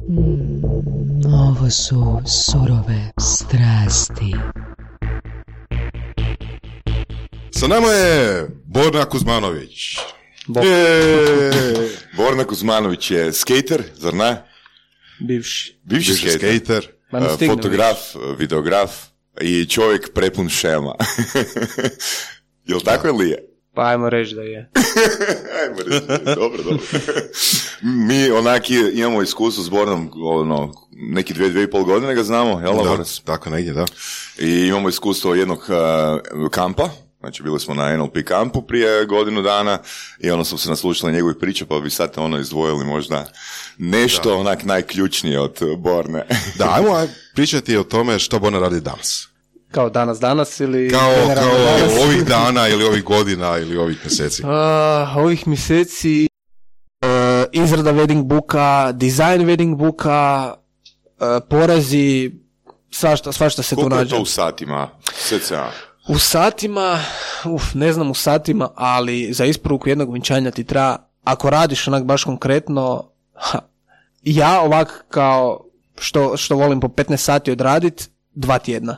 Ovo su surove strasti. Sa nama je Borna Kuzmanović. Borna Kuzmanović je skater, zar ne? Bivši skater, fotograf, videograf i čovjek prepun šema. Jel tako ili je? Pa ajmo reći da je. Dobro. Mi onaki imamo iskustvo s Bornom, neki 2,5 godine ga znamo, jel? Da, tako negdje, da. I imamo iskustvo jednog kampa, znači bili smo na NLP kampu prije godinu dana i smo se naslušali njegovih priča, pa bi sad izdvojili možda nešto onak najključnije od Borne. Da, ajmo pričati o tome što Borna radi danas. Kao danas ili... Kao ovih dana ili ovih godina ili ovih mjeseci. Ovih mjeseci izrada wedding booka, dizajn wedding booka, porazi, svašta se tu nađe. Koliko je to u satima? U satima, ne znam u satima, ali za isporuku jednog vjenčanja ti treba, ako radiš onak baš konkretno, ja ovak kao što volim po 15 sati odradit, 2 tjedna.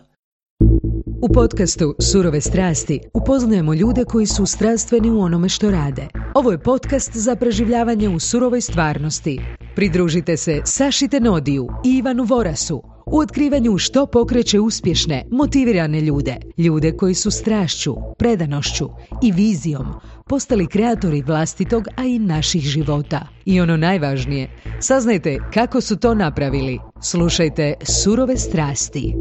U podcastu Surove strasti upoznajemo ljude koji su strastveni u onome što rade. Ovo je podcast za preživljavanje u surovoj stvarnosti. Pridružite se Saši Tenodiju i Ivanu Vorasu u otkrivanju što pokreće uspješne, motivirane ljude. Ljude koji su strašću, predanošću i vizijom postali kreatori vlastitog, a i naših života. I ono najvažnije, saznajte kako su to napravili. Slušajte Surove strasti.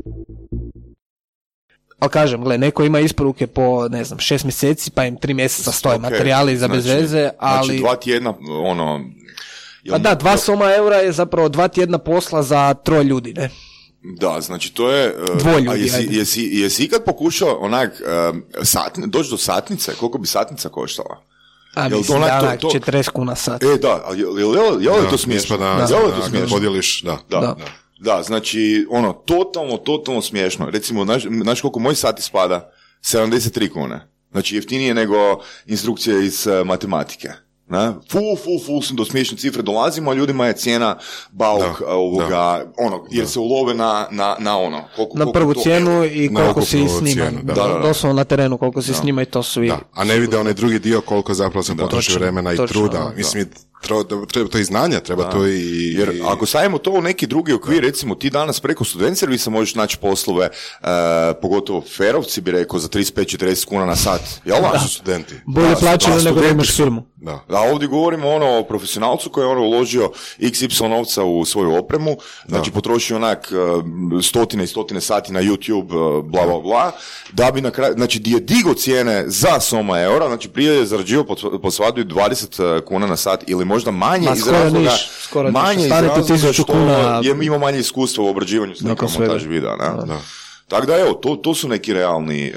Ali kažem, neko ima isporuke po, 6 mjeseci, pa im 3 mjeseca stoje materijali za bez veze, ali... Znači 2 tjedna, Pa da, 2 soma eura je zapravo 2 tjedna posla za 3 ljudi, ne? Da, znači to je... 2 ljudi, jesi ikad pokušao onak, doći do satnice? Koliko bi satnica koštala? Mislim da onak 40 kuna sat. Da, je li to smiješno? Podijeliš, da. Da, znači, totalno smiješno. Recimo, znaš koliko moj sat ispada? 73 kune. Znači, jeftinije nego instrukcije iz matematike. Ful, do smiješne cifre dolazimo, a ljudima je cijena bauk jer se ulove na ono. Na prvu cijenu i koliko si snima. Doslovno na terenu koliko si snima i to su i... A ne vide onaj drugi dio koliko zapravo se potroši vremena i truda. Mislim, treba to i znanja, treba to i... Jer ako stavimo to u neki drugi okvir, recimo ti danas preko student servisa možeš naći poslove, pogotovo ferovci bi rekao, za 35-40 kuna na sat. Jel da? Su studenti. Bolje plaćeno nego da imaš firmu. Da, ovdje govorimo o profesionalcu koji je uložio XY novca u svoju opremu, znači potrošio onak stotine i stotine sati na YouTube, bla, da bi na kraju, znači di je digo cijene za soma eura, znači prije je zarađivao po svadu 20 kuna na sat ili možda manje iz razloga, što ima manje iskustva u obrađivanju snimka montaži videa, ne? Tako da evo, to su neki realni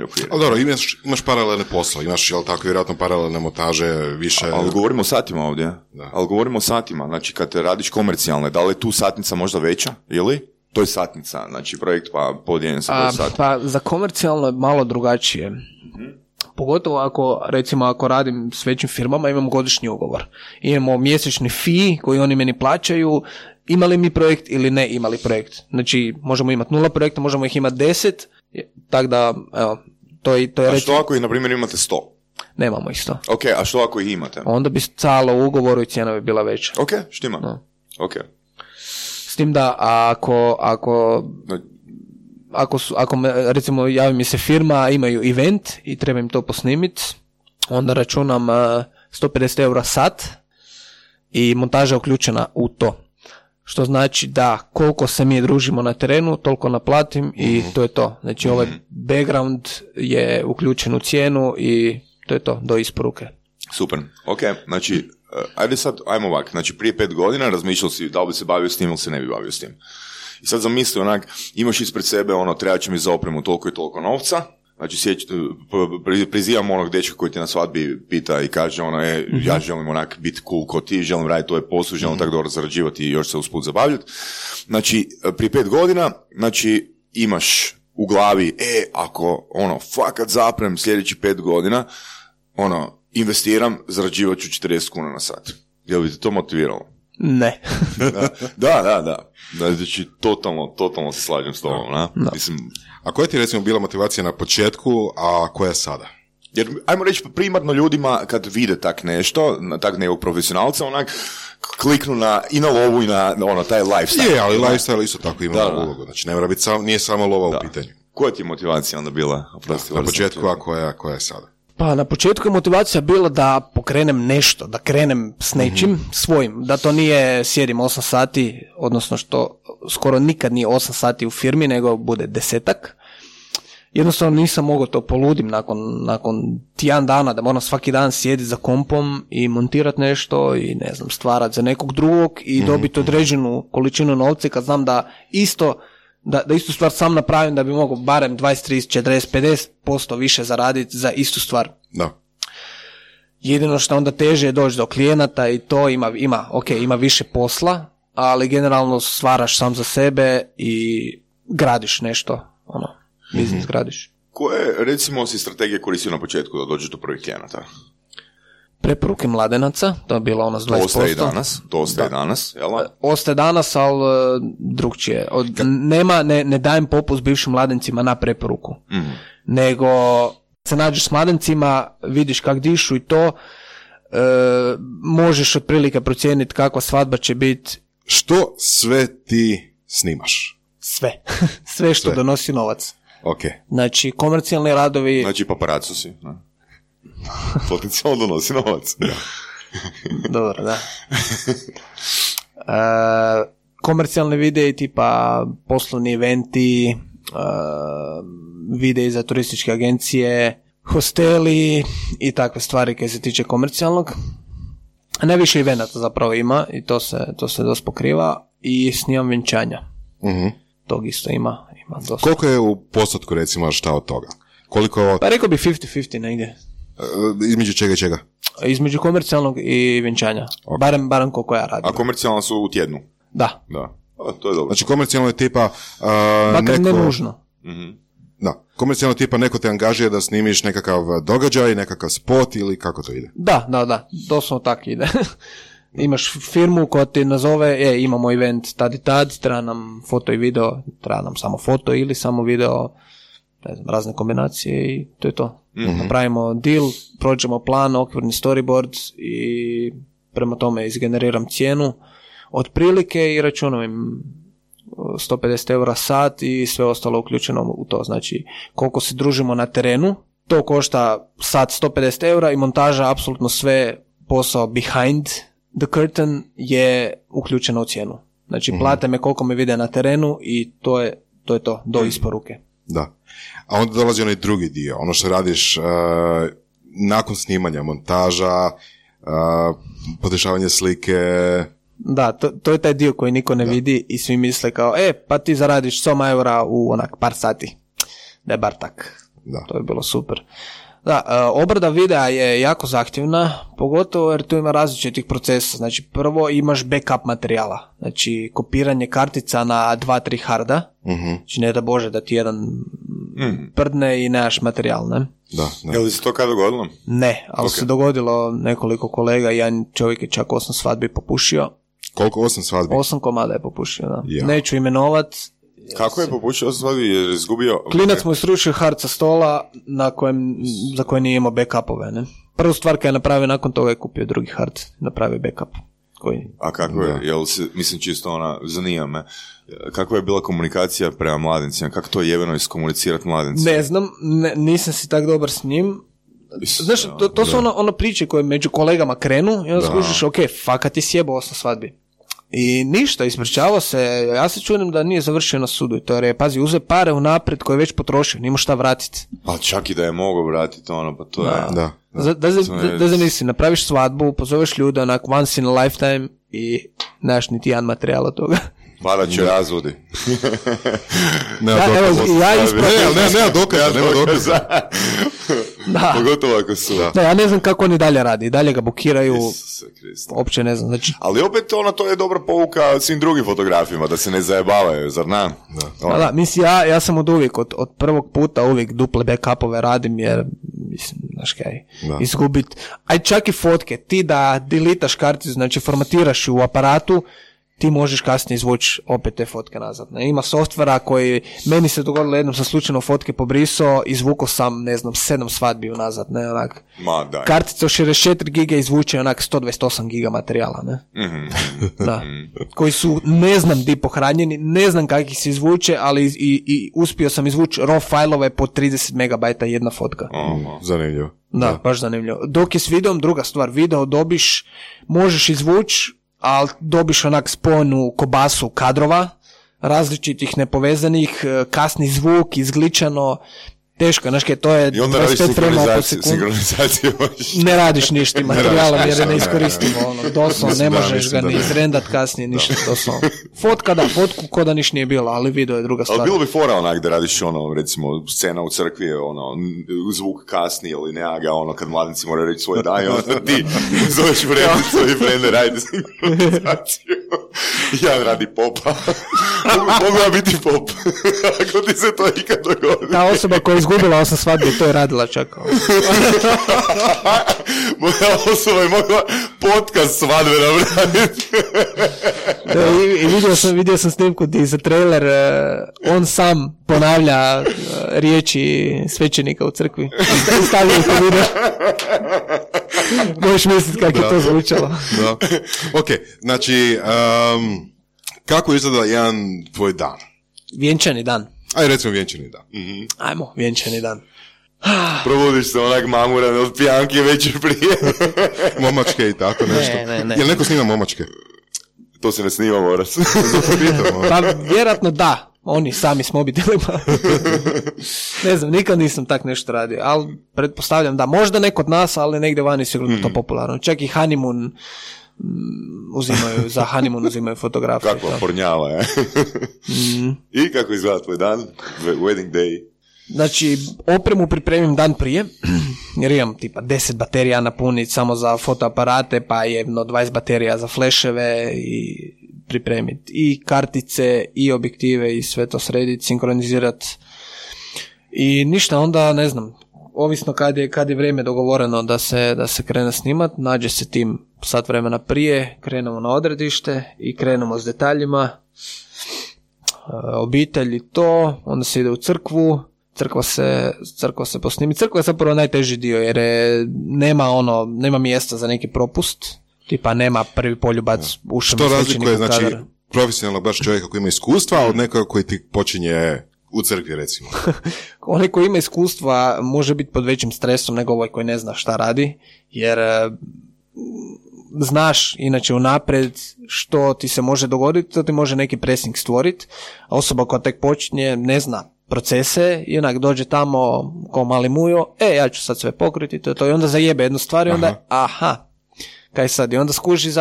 okviri. Ali dobro, imaš paralelne posla, imaš, jel tako, vjerojatno paralelne montaže, više... Ali govorimo o satima ovdje. Ali govorimo o satima, znači kad radiš komercijalne, da li je tu satnica možda veća, ili? To je satnica, znači projekt pa podijeljen sa broj sati. Pa za komercijalno je malo drugačije. Pogotovo ako radim s većim firmama, imamo godišnji ugovor. Imamo mjesečni fee koji oni meni plaćaju, imali mi projekt ili ne imali projekt. Znači, možemo imati 0 projekta, možemo ih imati 10, tako da, evo, to je reći... A što ako ih, na primjer, imate 100? Nemamo ih 100. Ok, a što ako ih imate? Onda bi stalo u ugovoru i cijena bi bila veća. Ok, štima. No. Ok. S tim da, ako recimo javi mi se firma, imaju event i treba im to posnimiti, onda računam 150 eura sat i montaža je uključena u to. Što znači da koliko se mi družimo na terenu, toliko naplatim i to je to. Znači ovaj background je uključen u cijenu i to je to, do isporuke. Super, ok, znači ajmo ovak, znači prije 5 godina razmišljao si da li bi se bavio s tim ili se ne bi bavio s tim. I sad zamisli onak, imaš ispred sebe treba će mi za opremu toliko i toliko novca, znači prizivam onog dečka koji te na svadbi pita i kaže ja želim onak biti cool ko ti, želim raditi ovaj posao, želim tako dobro zarađivati i još se usput zabavljati. Znači, prije 5 godina, znači, imaš u glavi, ako fakat zaprem sljedeći 5 godina, investiram, zarađivat ću 40 kuna na sat. Jel bi te to motiviralo? Ne. Da. Znači, totalno se slažem s tobom. Da. Mislim, a koja ti recimo bila motivacija na početku, a koja sada? Jer, ajmo reći, primarno ljudima kad vide tak nešto, tak nekog profesionalca, onak, kliknu i na lovu i na taj lifestyle. Je, ali lifestyle isto tako ima ulogu. Znači, ne mora biti nije samo lova u pitanju. Koja ti je motivacija onda bila? Na početku, a koja je sada? Pa na početku je motivacija bila da pokrenem nešto, da krenem s nečim svojim, da to nije sjedim 8 sati, odnosno što skoro nikad nije 8 sati u firmi, nego bude 10. Jednostavno nisam mogao to poludim nakon tjedan dana, da moram svaki dan sjediti za kompom i montirati nešto i ne znam, stvarati za nekog drugog i dobiti određenu količinu novca kad znam da istu stvar sam napravim da bi mogao barem 20, 30, 40, 50% više zaraditi za istu stvar. Da. Jedino što onda teže je doći do klijenata i to ima više posla, ali generalno stvaraš sam za sebe i gradiš nešto, biznis gradiš. Koje, recimo, si strategije koristio na početku da dođeš do prvih klijenata? Preporuke mladenaca, to je bilo ono s 20%. To ostaje danas, jel? Ostaje danas, ali drugčije. Ne dajem popust bivšim mladencima na preporuku. Nego se nađeš s mladencima, vidiš kak dišu i to, možeš otprilike procijeniti kakva svadba će biti. Što sve ti snimaš? Sve što donosi novac. Okay. Znači, komercijalni radovi... Znači, paparacu si, ne? Potencijalno donosi novac. Dobro, da. Komercijalni videi tipa poslovni eventi, videi za turističke agencije, hosteli i takve stvari koje se tiče komercijalnog. Najviše evenata zapravo ima i to se dosta pokriva i snimam vjenčanja. Tog isto ima dosta. Koliko je u postotku recimo šta od toga? Koliko... Pa rekao bi 50-50 negdje. Između čega i čega? Između komercijalnog i vjenčanja. Okay. Barem koliko ja radim. A komercijalno su u tjednu? Da. To je dobro. Znači komercijalno je tipa... Makar ne nužno. Da, komercijalno tipa neko te angažira da snimiš nekakav događaj, nekakav spot ili kako to ide? Da. Doslovno tako ide. Imaš firmu koja ti nazove, imamo event tad i tad, treba nam foto i video, treba nam samo foto ili samo video, ne znam, razne kombinacije i to je to. Napravimo deal, prođemo plan, okvirni storyboard i prema tome izgeneriram cijenu otprilike i računam im 150 eura sat i sve ostalo uključeno u to. Znači, koliko se družimo na terenu, to košta sat 150 eura i montaža, apsolutno sve posao behind the curtain je uključeno u cijenu. Znači, plate me koliko me vide na terenu i to je to, do isporuke. Da. A onda dolazi onaj drugi dio, ono što radiš nakon snimanja, montaža, podešavanje slike. Da, to je taj dio koji niko ne vidi i svi misle kao, pa ti zaradiš 100 eura u onak par sati. Da je bar tak. Da. To je bilo super. Da, obrada videa je jako zahtjevna, pogotovo jer tu ima različitih procesa. Znači, prvo imaš backup materijala, znači kopiranje kartica na 2-3 harda, znači ne da Bože da ti jedan prdne i nemaš materijal, ne? Da. Je li se to kada dogodilo? Ne, ali se dogodilo nekoliko kolega, jedan čovjek je čak 8 svadbi popušio. Koliko 8 svadbi? 8 komada je popušio, da. Ja. Neću imenovat. Kako je popušio 8 svadbi? Je izgubio... Klinac mu je srušio hard sa stola za koje nije imao backupove, ne? Prvu stvar kad je napravio, nakon toga je kupio drugi hard, napravio backup. A kako je, mislim čisto zanima me, kakva je bila komunikacija prema mladencima, kako to je jeveno iskomunicirati mladencima? Ne znam, nisam si tak dobar s njim. Znaš, to su ono priče koje među kolegama krenu i onda skužiš, fakat ti sjebo 8 svadbi. I ništa, ispričavao se, ja se čudim da nije završio na sudu, to je, pazi, uze pare unaprijed koje je već potrošio, nima šta vratiti. Pa čak i da je mogao vratiti pa to je... Da zamisli, napraviš svadbu, pozoveš ljude onak once in a lifetime i nemaš niti jedan materijal od toga. Pada će razvodi. Nema dokaza. Da. Pogotovo ako su. Da, ja ne znam kako oni dalje radi. I dalje ga bukiraju. Uopće ne znam. Znači... Ali opet to je dobra pouka svim drugim fotografima, da se ne zajebavaju, zar na? Da, mislim, ja sam od uvijek, od prvog puta uvijek duple backupove radim, jer mislim, znaš kaj, izgubit. Aj čak i fotke, ti da delitaš karticu, znači formatiraš ju u aparatu, ti možeš kasnije izvući opet te fotke nazad. Ne? Ima softvera koji, meni se dogodilo jednom sam slučajno fotke pobrisao, izvukao sam, ne znam, 7 svadbi nazad, ne, onak. Kartica od 64 giga izvuče onak 128 giga materijala, ne. Da. Koji su, ne znam di pohranjeni, ne znam kak ih se izvuče, ali i uspio sam izvući RAW fajlove po 30 megabajta jedna fotka. Zanimljivo. Da, baš zanimljivo. Dok je s videom, druga stvar, video dobiš, možeš izvući, ali dobiš onak spojenu kobasu kadrova, različitih nepovezanih, kasni zvuk, izgličano, teško, znaš kaj, to je 25 frema po sekundu. Ne radiš ništa, materijala jer je ne iskoristimo, doslovno, ne možeš ga ni izrendat kasnije, ništa, doslovno. Fotka da, fotku ko da niš nije bilo, ali video je druga stvar. Ali bilo bi fora onak da radiš recimo, scena u crkvi je zvuk kasni ili nega, kad mladnici moraju reći svoje danje, onda ti zoveš vrednicu i vrende radi sinkronizaciju. Jedan radi popa. Mogu ja biti pop. Ako ti se to ikad dogodi. Ta osoba koja je izgubila 8 svadbe, to je radila čak. Moja osoba je mogla podcast svadbe napraviti. I vidio sam snimku gdje za trailer on sam ponavlja riječi svećenika u crkvi. Stavio to video. Možeš misliti kako je to zvučalo. Ok, znači, kako izgleda jedan tvoj dan? Vjenčani dan. Aj, recimo vjenčani dan. Ajmo, vjenčani dan. Probudiš se onak mamuran od pijanke večer prije. Momačke i tako nešto. Ne. Jel neko snima momačke? To se ne snima, moraš. Pa vjerojatno da. Oni sami s mobitelima. Ne znam, nikad nisam tak nešto radio, ali pretpostavljam da možda neko od nas, ali negdje vani sigurno to popularno. Čak i honeymoon uzimaju fotografije. Kakva pornjava, je. I kako izgleda tvoj dan? Wedding day? Znači, opremu pripremim dan prije, jer imam tipa 10 baterija napuniti samo za fotoaparate, pa jedno 20 baterija za fleševe i pripremiti i kartice i objektive i sve to srediti, sinkronizirati. I ništa, onda ne znam, ovisno kad je vrijeme dogovoreno da se krene snimat, nađe se tim sat vremena prije, krenemo na odredište i krenemo s detaljima, obitelj i to, onda se ide u crkvu, crkva se posnimi. Crkva je zapravo najteži dio jer nema mjesta za neki propust, tipa nema prvi poljubac ušem što razlikuje, znači, profesionalno baš čovjeka koji ima iskustva od nekoga koji ti počinje u crkvi, recimo? Onaj koji ima iskustva može biti pod većim stresom nego ovaj koji ne zna šta radi, jer znaš inače unaprijed što ti se može dogoditi, to ti može neki pressing stvoriti, a osoba koja tek počinje ne zna procese i onak dođe tamo ko mali mujo, ja ću sad sve pokriti, to i onda zajebe jednu stvar i onda, kaj sad, i onda skuži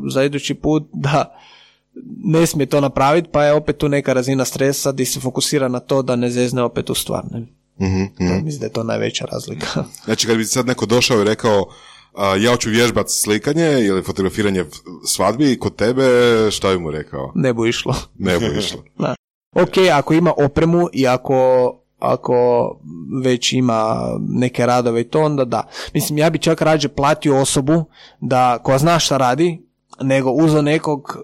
za idući put da ne smije to napraviti, pa je opet tu neka razina stresa gdje se fokusira na to da ne zezne opet u stvar. Ne? Mislim da je to najveća razlika. Znači kad bi sad neko došao i rekao ja hoću vježbati slikanje ili fotografiranje svadbi kod tebe, šta bi mu rekao? Ne bu išlo. Da. Ok, ako ima opremu i ako već ima neke radove i to, onda da. Mislim, ja bi čak rađe platio osobu koja zna šta radi, nego uzeo nekog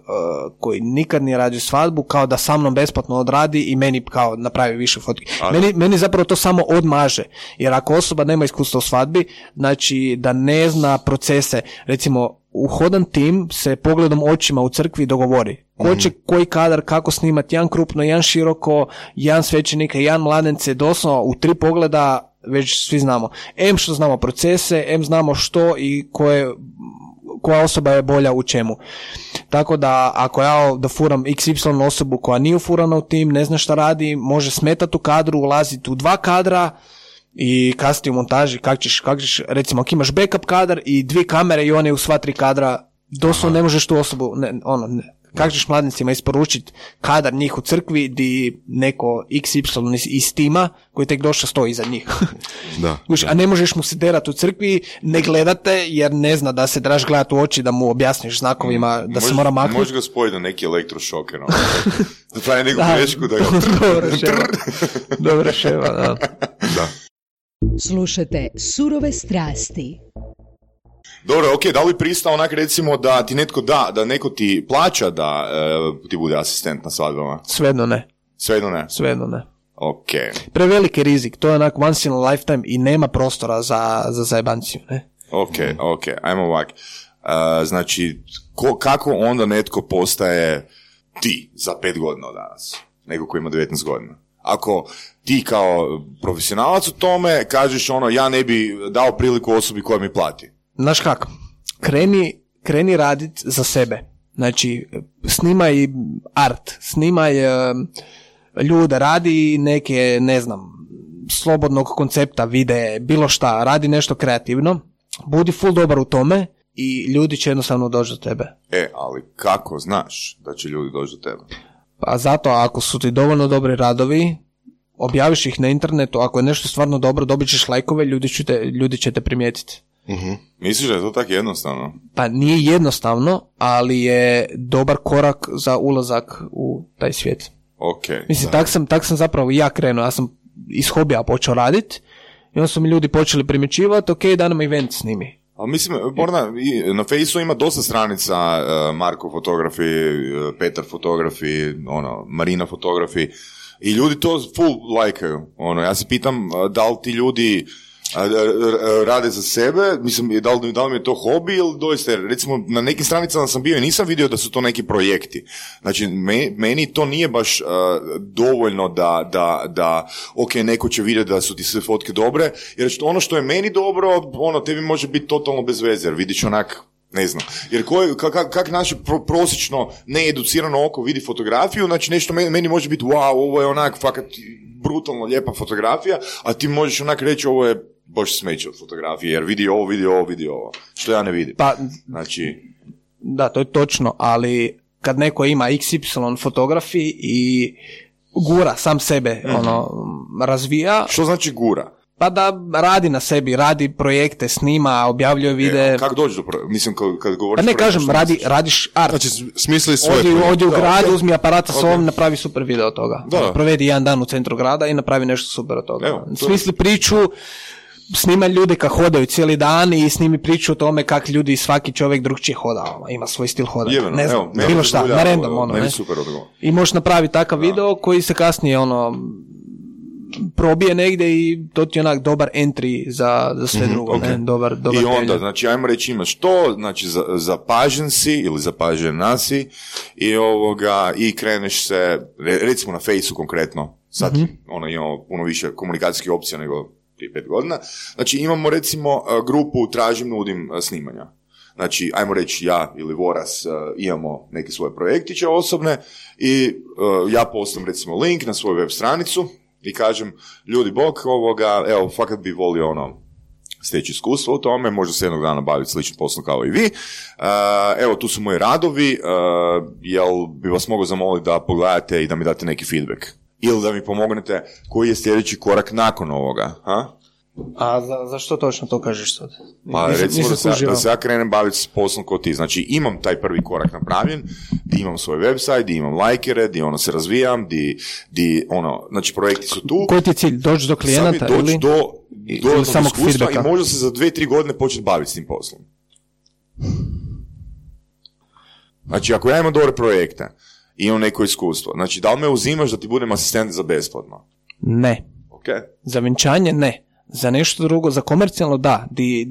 koji nikad nije radio svadbu, kao da sa mnom besplatno odradi i meni kao napravi više fotke. Meni zapravo to samo odmaže, jer ako osoba nema iskustva u svadbi, znači da ne zna procese, recimo uhodan tim se pogledom očima u crkvi dogovori. Ko će koji kadar, kako snimati, jedan krupno, jedan široko, jedan svećenika, jedan mladence, doslovno u 3 pogleda već svi znamo. Što znamo procese, znamo što i koja osoba je bolja u čemu. Tako da ako ja da furam XY osobu koja nije ufurana u tim, ne zna šta radi, može smetati u kadru, ulaziti u 2 kadra i kasnije u montaži kako ćeš, recimo ako imaš backup kadar i 2 kamere i one u sva 3 kadra, doslovno ne možeš tu osobu, kako ćeš mladnicima isporučiti kadar njih u crkvi di neko XY iz tima koji tek došao stoji iza njih. Da. A ne možeš mu se derati u crkvi, ne gledate jer ne zna da se trebaš gledati u oči, da mu objasniš znakovima da se mora maknuti. Možeš ga spojiti na neki elektrošoker. Da pravi neku grešku. Dobra ševa, da. Slušate Surove strasti. Dobro, ok, da li pristao onak recimo da ti netko da neko ti plaća da ti bude asistent na svadbama? Svejedno ne. Svejedno ne? Ok. Preveliki rizik, to je onak once in a lifetime i nema prostora za zajebanciju, ne? Ok, ajmo ovak. Znači, kako onda netko postaje ti za 5 godina od danas? Neko koji ima 19 godina. Ako ti kao profesionalac u tome kažeš ja ne bi dao priliku osobi koja mi plati. Znaš kako? Kreni radit za sebe. Znači, snimaj art, snimaj ljude, radi neke, ne znam, slobodnog koncepta, videe, bilo šta, radi nešto kreativno, budi full dobar u tome i ljudi će jednostavno doći do tebe. Ali kako znaš da će ljudi doći do tebe? Pa zato, ako su ti dovoljno dobri radovi, objaviš ih na internetu, ako je nešto stvarno dobro, dobit ćeš lajkove, ljudi će te primijetiti. Uh-huh. Misliš da je to tako jednostavno? Pa nije jednostavno, ali je dobar korak za ulazak u taj svijet. Okay, mislim, tak sam zapravo ja krenuo, ja sam iz hobija počeo raditi i onda su mi ljudi počeli primjećivati, ok, da nam event snimi. Ali mislim, Borna, na Fejsu ima dosta stranica, Marko fotografi, Petar fotografi, Marina fotografi, i ljudi to full lajkaju. Ja se pitam da li ti ljudi rade za sebe, mislim, da li mi je to hobi ili doista, recimo na nekim stranicama sam bio i nisam vidio da su to neki projekti. Znači, meni to nije baš dovoljno da ok, neko će vidjeti da su ti sve fotke dobre, jer ono što je meni dobro, tebi može biti totalno bez veze, jer vidiš onak, ne znam, jer kak naše prosječno needucirano oko vidi fotografiju, znači nešto meni može biti wow, ovo je onak fakat brutalno lijepa fotografija, a ti možeš onak reći ovo je baš smeće od fotografije, jer vidi ovo, što ja ne vidim. Pa, znači... Da, to je točno, ali kad neko ima XY fotografiji i gura sam sebe, razvija... Što znači gura? Pa da radi na sebi, radi projekte, snima, objavljuje videe. Kako dođe do mislim, kad govoriš... Pa ne kažem, radiš art. Znači, smisli svoje projekte. Odi u grad, uzmi aparata s ovom, napravi super video od toga. Provedi jedan dan u centru grada i napravi nešto super od toga. Smisli priču, snima ljude kad hodaju cijeli dan i snimi priču o tome kak ljudi, svaki čovjek drugčije hoda. Ima svoj stil hodanja. Ne znam, bilo šta, na random. I možeš napraviti takav video koji se kasnije probije negdje i to ti je onak dobar entry za sve drugo. Okay. Dobar i onda, znači, ajmo reći imaš to, znači zapažen si ili zapažena si i kreneš se, recimo na Fejsu konkretno, sad imamo puno više komunikacijskih opcija nego prije 5 godina, znači imamo recimo grupu tražim, nudim snimanja. Znači, ajmo reći, ja ili Voras imamo neke svoje projektiće osobne i ja postam recimo link na svoju web stranicu i kažem, ljudi bok, evo, fakat bi volio steći iskustvo u tome, možda se jednog dana baviti sličnim poslom kao i vi. Evo, tu su moji radovi, jel bi vas mogao zamoliti da pogledate i da mi date neki feedback? Ili da mi pomognete koji je sljedeći korak nakon ovoga, ha? A zašto točno to kažeš sad? Pa recimo da se ja krenem baviti s poslom kao ti. Znači imam taj prvi korak napravljen, di imam svoj website, di imam lajkere, di se razvijam, znači projekti su tu. Koji ti je cilj? Doći do klijenata ili do samog feedbacka? I možda se za 2-3 godine početi baviti s tim poslom. Znači ako ja imam dobre projekte i imam neko iskustvo, znači da li me uzimaš da ti budem asistent za besplatno? Ne. Okay. Za vjenčanje ne. Za nešto drugo, za komercijalno da, di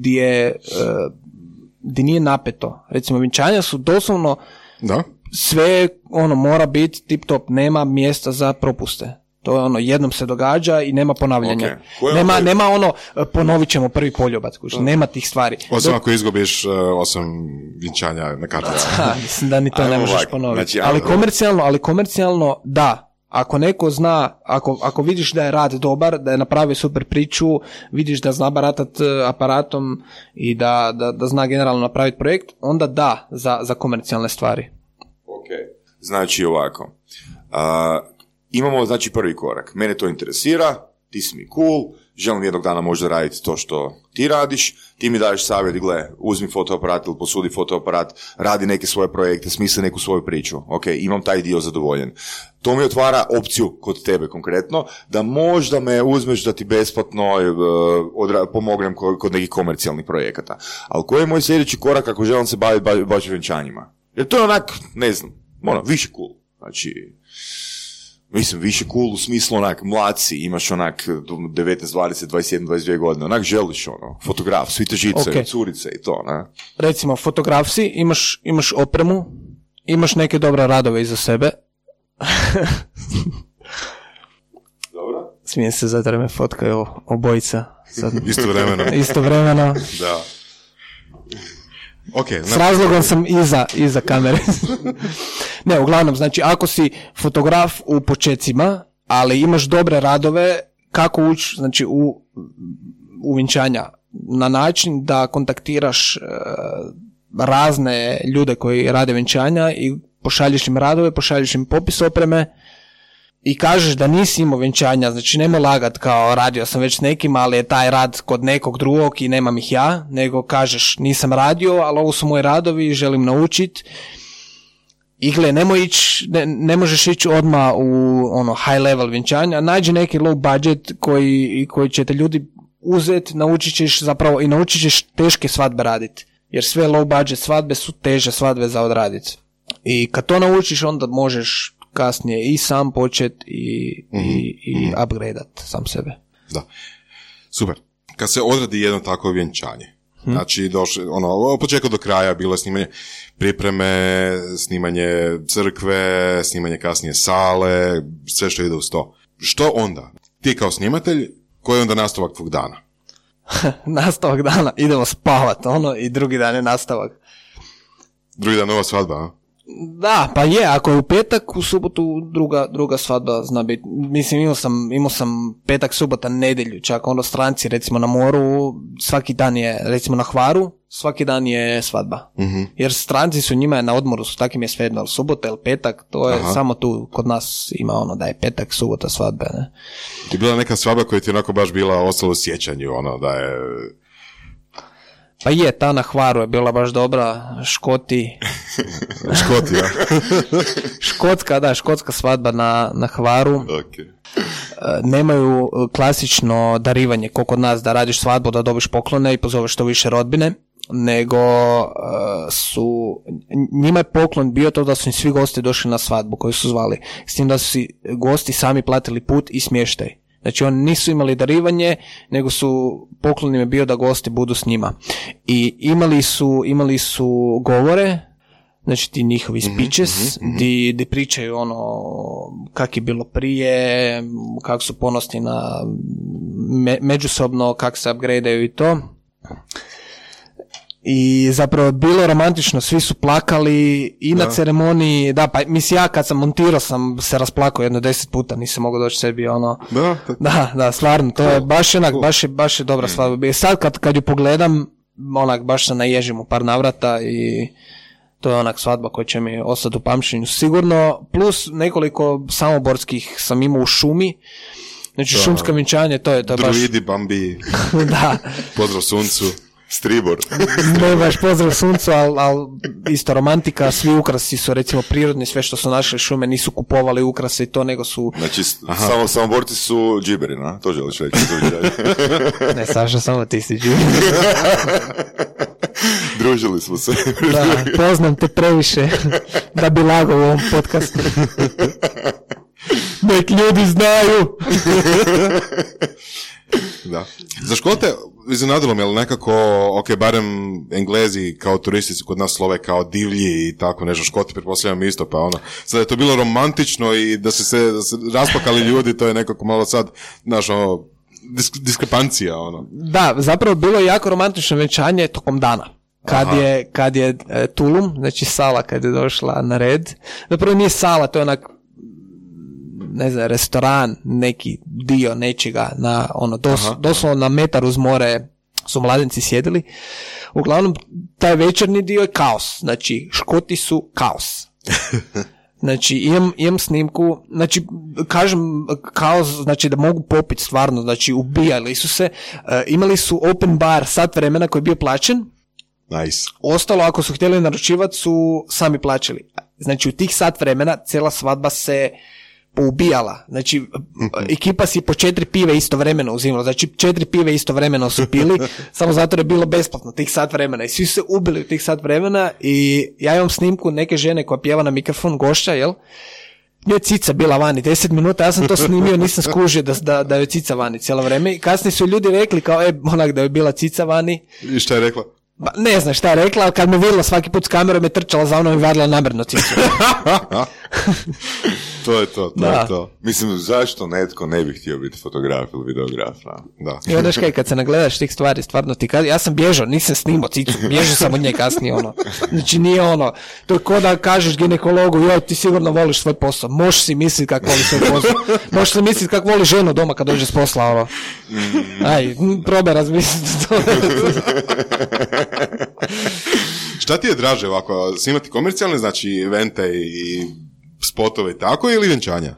nije napeto. Recimo, vjenčanja su doslovno sve mora biti tip top, nema mjesta za propuste. To je jednom se događa i nema ponavljanja. Okay. Nema ponovit ćemo prvi poljubac, nema tih stvari. Osim ako izgubiš 8 vjenčanja na kartu. Mislim da ni to ne možeš ponoviti. Znači, ali komercijalno da. Ako neko zna, ako vidiš da je rad dobar, da je napravio super priču, vidiš da zna baratat aparatom i da zna generalno napraviti projekt, onda da za komercijalne stvari. Ok, znači ovako. Imamo znači prvi korak. Mene to interesira, ti si mi cool, želim jednog dana možda raditi to što ti radiš, ti mi daješ savjet, gle, uzmi fotoaparat ili posudi fotoaparat, radi neke svoje projekte, smisli neku svoju priču, ok, imam taj dio zadovoljen. To mi otvara opciju kod tebe konkretno, da možda me uzmeš da ti besplatno pomognem kod nekih komercijalnih projekata. Ali koji je moj sljedeći korak ako želim se baviti baš vjenčanjima? Jer to je onak, ne znam, više cool. Znači, mislim, više cool u smislu onak, mlad si, imaš onak 19, 20, 21, 22 godine, onak želiš fotograf, svi te žice, curice i to, ne? Recimo, fotograf si, imaš opremu, imaš neke dobre radove iza sebe. Dobro. Smijem se zato da me fotkaju obojica. Istovremeno. Da. Okay, s razlogom sam iza kamere. Ne, uglavnom, znači, ako si fotograf u počecima, ali imaš dobre radove, kako ući, znači, u vjenčanja? Na način da kontaktiraš razne ljude koji rade vjenčanja i pošalješ im radove, pošalješ im popis opreme i kažeš da nisi imao vjenčanja, znači nemoj lagat kao radio sam već s nekim, ali je taj rad kod nekog drugog i nemam ih ja, nego kažeš nisam radio, ali ovo su moji radovi, želim naučiti. I gle, ne možeš ići odmah u high level vjenčanja, nađi neki low budget koji će te ljudi uzeti, naučit ćeš teške svadbe raditi, jer sve low budget svadbe su teže svadbe za odraditi. I kad to naučiš, onda možeš kasnije i sam počet i upgradeat sam sebe. Da. Super. Kad se odradi jedno takvo vjenčanje, znači od početka do kraja bilo je snimanje pripreme, snimanje crkve, snimanje kasnije sale, sve što ide uz to. Što onda? Ti kao snimatelj, koji je onda nastavak tvog dana? Nastavak dana, idemo spavat, i drugi dan je nastavak. Drugi dan nova svadba, a? Da, pa je, ako je u petak, u subotu druga svadba zna biti. Mislim, imao sam petak, subota, nedjelju, čak stranci, recimo na moru, svaki dan je, recimo na Hvaru, svaki dan je svadba. Uh-huh. Jer stranci su njima na odmoru, su takim je svejedno, subota ili petak, to je samo tu kod nas ima da je petak, subota, svadbe, ne. Je bila neka svadba koja ti je onako baš bila ostala u sjećanju, da je... Pa je, ta na Hvaru je bila baš dobra, Škoti, ja. škotska svadba na Hvaru. Okay. Nemaju klasično darivanje, ko kod nas da radiš svadbu, da dobiš poklone i pozoveš što više rodbine, nego njima je poklon bio to da su im svi gosti došli na svadbu koju su zvali, s tim da su si gosti sami platili put i smještaj. Znači oni nisu imali darivanje, nego su poklon im je bio da gosti budu s njima. I imali su govore, znači ti njihovi speeches, di pričaju kak je bilo prije, kako su ponosni na međusobno, kako se upgradeaju i to. I zapravo bilo romantično, svi su plakali i na ceremoniji, da, pa mislim ja kad sam montirao sam se rasplakao jedno 10 puta, nisam mogao doći sebi da, stvarno, to je baš je dobra svadba. I sad kad ju pogledam, baš se naježim u par navrata i to je svadba koja će mi ostati u pamćenju sigurno, plus nekoliko samoborskih sam imao u šumi. Znači šumska vjenčanje, to je baš... Druidi, Bambi, da. Pozdrav suncu. Stribor. Ne baš pozdrav suncu, ali isto romantika, svi ukrasi su recimo prirodni, sve što su našli šume, nisu kupovali ukrase i to, nego su... Znači, samoborci su džiberi, na? To želiš reći. Ne, Saša, samo ti si džiberi. Družili smo se. Da, poznam te previše da bi lagao u ovom podcastu. Nek ljudi znaju. Da. Za Škote iznenadilo mi, ali nekako, barem Englezi kao turisti su kod nas slove kao divlji i tako nešto, Škoti pretpostavljam isto, pa sad je to bilo romantično i da se raspakali ljudi, to je nekako malo sad, diskrepancija, Da, zapravo bilo je jako romantično vjenčanje tokom dana. Kad je tulum, znači sala kad je došla na red, zapravo nije sala, to je restoran, neki dio nečega, doslovno na metar uz more su mladenci sjedili. Uglavnom, taj večernji dio je kaos. Znači, Škoti su kaos. Znači, imam snimku, znači, kažem, kao, znači, da mogu popiti stvarno, znači, ubijali su se, imali su open bar sat vremena koji je bio plaćen, Nice. ostalo, ako su htjeli naručivati, su sami plaćali. Znači, u tih sat vremena cijela svadba se poubijala. Znači, ekipa si po 4 pive istovremeno uzimala. Znači, 4 pive istovremeno su pili, samo zato je bilo besplatno tih sat vremena. I svi su se ubili u tih sat vremena i ja imam snimku neke žene koja pjeva na mikrofon, gošća, jel? Njoj cica bila vani 10 minuta, ja sam to snimio, nisam skužio da je cica vani cijelo vrijeme. I kasnije su ljudi rekli kao, onak da je bila cica vani. I šta je rekla? Ba, ne znam šta je rekla, ali kad me vidjela svaki put s kamerom je trčala za mnom i vadila namjerno cicu. To je to Da. je to. Mislim, zašto netko ne bi htio biti fotograf ili videograf? Da. I onda kaj, kad se nagledaš tih stvari, stvarno ti kaže, ja sam bježao, nisam snimao cicu, bježao sam od nje kasnije, ono. Znači nije ono, to je ko da kažeš ginekologu, joj, ti sigurno voliš svoj posao, možeš si misliti kako voli svoj posao, možeš si misliti kako voli ženu doma kad dođe s posla, ono. Aj, probaj razmisliti to. Šta ti je draže ovako, snimati komercijalne, znači evente i spotove i tako, ili vjenčanja?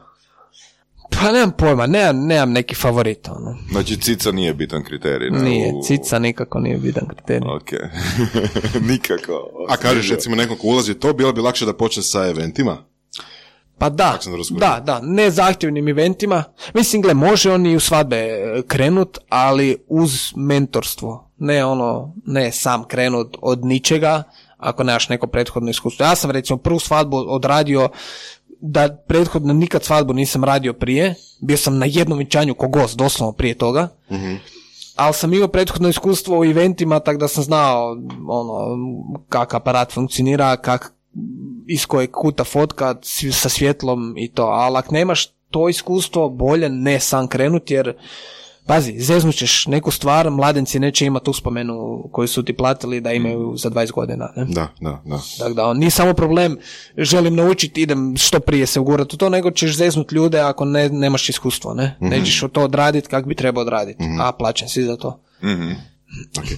Pa nemam pojma, nemam neki favorit, ono. Znači, cica nije bitan kriterij. Ne? Nije, cica nikako nije bitan kriterij. Ok. Nikako. A kažeš, recimo, nekom ko ulazi u to, bilo bi lakše da počne sa eventima? Pa da, sam razgovorio. da, ne zahtjevnim eventima. Mislim, gle, može on i u svadbe krenut, ali uz mentorstvo. Ne sam krenut od ničega, ako nemaš neko prethodno iskustvo. Ja sam, recimo, prvu svadbu odradio, da prethodno nikad svadbu nisam radio prije. Bio sam na jednom vjenčanju ko gost, doslovno prije toga. Mm-hmm. Ali sam imao prethodno iskustvo u eventima, tako da sam znao kako aparat funkcionira, iz kojeg kuta fotka sa svjetlom i to. Ali ako nemaš to iskustvo, bolje ne sam krenuti, jer pazi, zeznućeš neku stvar, mladenci neće imati uspomenu koju su ti platili da imaju za 20 godina. Ne? Da. Tako da, nije samo problem, želim naučiti, idem što prije se ugurati u to, nego ćeš zeznuti ljude ako nemaš iskustvo, ne? Mm-hmm. Nećeš to odraditi kako bi trebao odraditi, a plaćen si za to. Mm-hmm. Okay.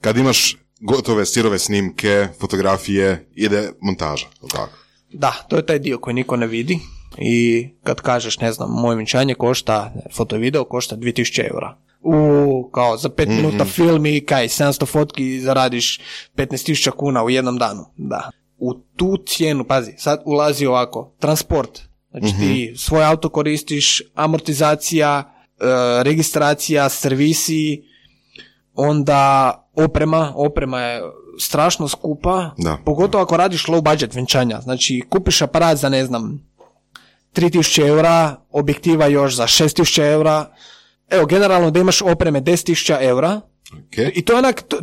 Kad imaš gotove sirove snimke, fotografije, ide montaža, tako? Da, to je taj dio koji niko ne vidi. I kad kažeš, ne znam, moje vjenčanje košta, foto i video košta 2000 eura. Kao za 5 minuta film i 700 fotki zaradiš 15.000 kuna u jednom danu. Da. U tu cijenu, pazi, sad ulazi ovako, transport. Znači ti svoj auto koristiš, amortizacija, registracija, servisi, onda oprema je strašno skupa, pogotovo ako radiš low budget vjenčanja. Znači kupiš aparat za, ne znam, 3.000 eura, objektiva još za 6.000 eura. Evo, generalno da imaš opreme 10.000 eura. Okay. I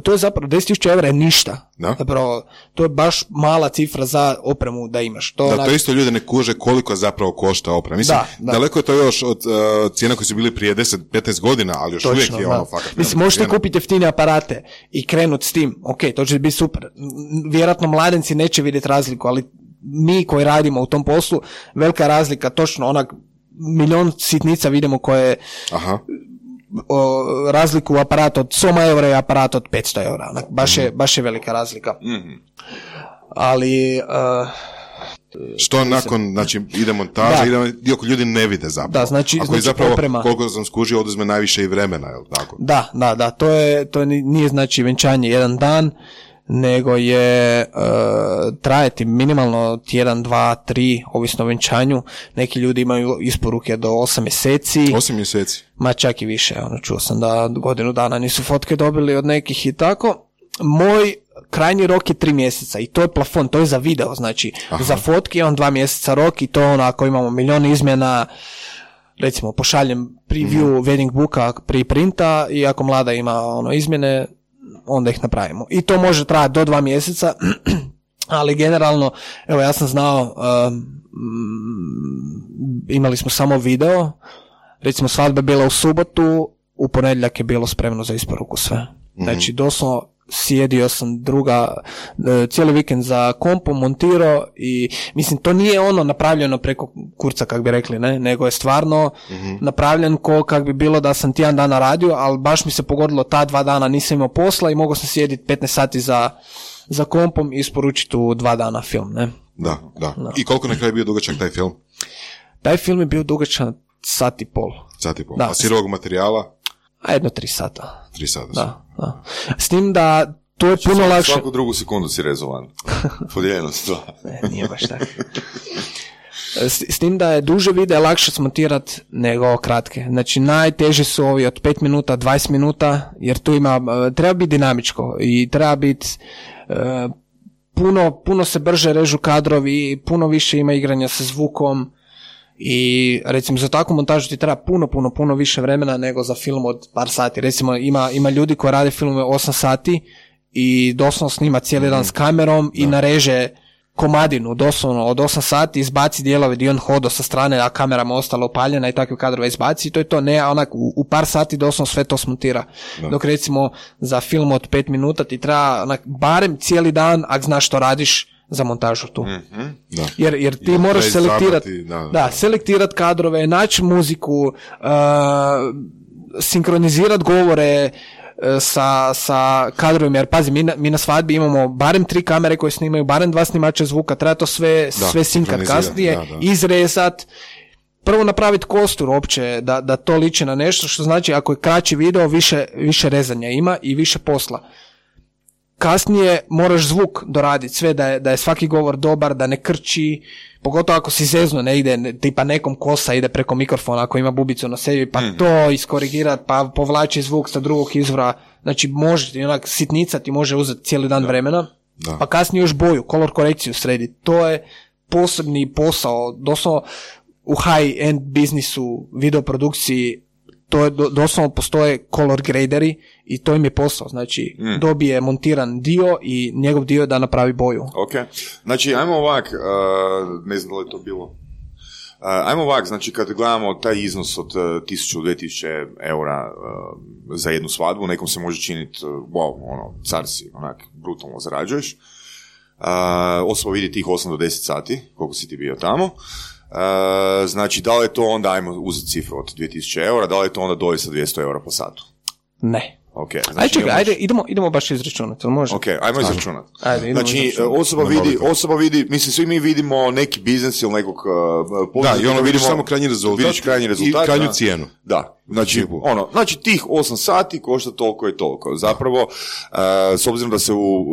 to je zapravo 10.000 eura je ništa. Da. Zapravo, to je baš mala cifra za opremu da imaš. To isto ljudi ne kuže koliko zapravo košta oprema. Mislim, daleko je to još od cijena koji su bili prije 10-15 godina, ali još uvijek je ono fakat. Mislim, možete kupiti jeftine aparate i krenuti s tim. Ok, to će biti super. Vjerojatno mladenci neće vidjeti razliku, ali mi koji radimo u tom poslu, velika razlika, točno onak milion sitnica vidimo koje razliku u aparatu od 100 eura i aparat od 500 eura. Baš je velika razlika. Mm-hmm. Ali što nakon, znači, ide montaža, dio koji ljudi ne vide zapravo. Da, znači, a koji zapravo, oprema, koliko sam skužio, oduzme najviše i vremena, je li tako? Da, to nije znači vjenčanje jedan dan, nego je trajati minimalno tjedan, 2, 3, ovisno o vjenčanju. Neki ljudi imaju isporuke do 8 mjeseci. 8 mjeseci? Ma čak i više, čuo sam da godinu dana nisu fotke dobili od nekih i tako. Moj krajnji rok je 3 mjeseca i to je plafon, to je za video, znači za fotke imam 2 mjeseca rok i to ako imamo milion izmjena, recimo pošaljem preview wedding booka pri printa i ako mlada ima izmjene, onda ih napravimo. I to može trajati do 2 mjeseca, ali generalno, evo ja sam znao, imali smo samo video, recimo svadba je bila u subotu, u ponedjeljak je bilo spremno za isporuku sve. Znači doslovno sjedio sam cijeli vikend za kompom, montirao i mislim to nije napravljeno preko kurca kak bi rekli, ne, nego je stvarno napravljen kak bi bilo da sam tjedan dana radio, ali baš mi se pogodilo ta 2 dana nisam imao posla i mogao sam sjediti 15 sati za kompom i isporučiti u 2 dana film, ne. Da. I koliko na kraju bio dugačak taj film? Taj film je bio dugačak sat i pol. Da. A sirovog materijala? A 3 sata. 3 sata. Da. S tim da to je puno lakše. Svaku drugu sekundu si rezovan. Podijeljeno se to. Nije baš tako. S tim da je duže videa lakše smontirati nego kratke. Znači najteži su ovi od 5 minuta, 20 minuta, jer tu treba biti dinamičko i treba biti puno se brže režu kadrovi, puno više ima igranja sa zvukom i recimo za takvu montažu ti treba puno više vremena nego za film od par sati. Recimo ima ljudi koji rade filmove 8 sati i doslovno snima cijeli dan s kamerom i nareže komadinu, doslovno od 8 sati, izbaci dijelove gdje on hodo sa strane, a kamera mu ostala upaljena i takve kadrove izbaci i to je to, ne, onak u par sati doslovno sve to smontira. Dok recimo za film od 5 minuta ti treba onak, barem cijeli dan, ako znaš što radiš za montažu tu. Jer ti moraš selektirati selektirati kadrove, naći muziku, sinkronizirati govore, sa kadrovima, jer pazi, mi na svadbi imamo barem 3 kamere koje snimaju, barem 2 snimača zvuka, treba to sve sinkat kasnije, izrezat, prvo napraviti kostur uopće, da to liči na nešto, što znači ako je kraći video, više rezanja ima i više posla. Kasnije moraš zvuk doraditi sve, da je svaki govor dobar, da ne krči, pogotovo ako si zezno ne ide, tipa nekom kosa ide preko mikrofona ako ima bubicu na sebi, pa to iskorigirati, pa povlači zvuk sa drugog izvora, znači može ti onak sitnica ti može uzeti cijeli dan vremena, pa kasnije još boju, color korekciju srediti, to je posebni posao, doslovno u high-end biznisu, videoprodukciji, to je doslovno postoje color graderi i to im je posao, znači dobije montiran dio i njegov dio da napravi boju. Ok, znači ajmo ovak, ne znam da li je to bilo, ajmo ovak, znači kad gledamo taj iznos od 1000-2000 eura za jednu svadbu, nekom se može činiti, car si, onak, brutalno zarađuješ, osoba vidi tih 8 do 10 sati, koliko si ti bio tamo. Znači, da li je to onda, ajmo uzeti cifru od 2000 eura, da li je to onda doista 200 eura po satu? Ne. Okay, znači ajde, idemo baš izračunati, može? Ok, ajmo izračunati. Znači, osoba vidi, mislim, svi mi vidimo neki biznis ili nekog poduzetnika. Da, i vidiš samo krajnji rezultat, vidiš krajnji rezultat i krajnju cijenu. Da, znači tih 8 sati košta toliko i toliko. Zapravo, s obzirom da se u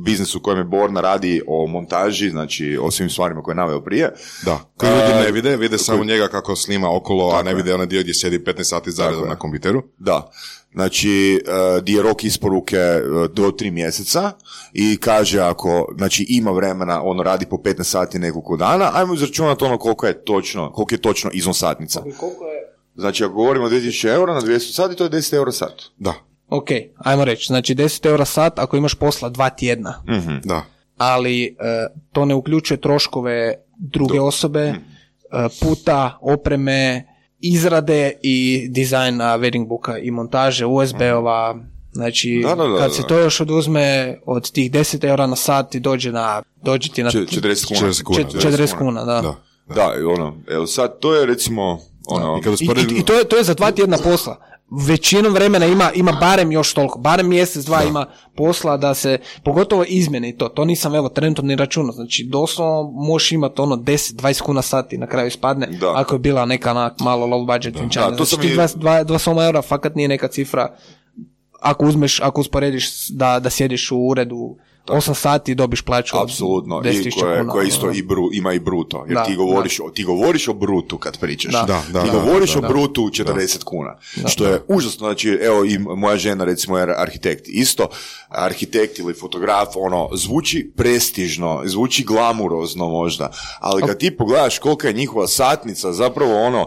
biznisu u kojem je Borna radi o montaži, znači o svim stvarima koje je naveo prije. Da, koji ljudi ne vide samo njega kako snima okolo, a ne vide onaj dio gdje sjedi 15 sati zaredom na kompjuteru. Da. Znači, di je rok isporuke do 3 mjeseca i kaže ako, znači, ima vremena, ono radi po 15 sati nekoliko dana, ajmo izračunati ono koliko je točno iznos satnica. Znači, ako govorimo o 2000 eura na 200 sati, to je 10 eura sat. Da. Ok, ajmo reći, znači 10 eura sat ako imaš posla 2 tjedna. Da. Ali to ne uključuje troškove druge osobe, puta, opreme, izrade i dizajna wedding booka i montaže USB-ova, znači kad se to još oduzme od tih 10 eura na sat i dođe ti na 40 kuna, da. Da, evo sad to je recimo I to je za 2 tjedna posla. Većinom vremena ima barem još toliko, barem mjesec, 2 ima posla da se, pogotovo izmjene i to nisam evo trenutno ni računao, znači doslovno možeš imati 10-20 kuna sati na kraju ispadne, ako je bila neka malo low budget vinčanja, znači ti 2 eura fakat nije neka cifra, ako usporediš da sjediš u uredu 8 sati dobiš plaću. Apsolutno, i koja isto ima i bruto, jer ti govoriš o brutu kad pričaš. Ti govoriš o brutu 40 kuna, što je užasno. Znači, evo i moja žena recimo je arhitekt. Isto, arhitekt ili fotograf, zvuči prestižno, zvuči glamurozno možda, ali kad ti pogledaš kolika je njihova satnica, zapravo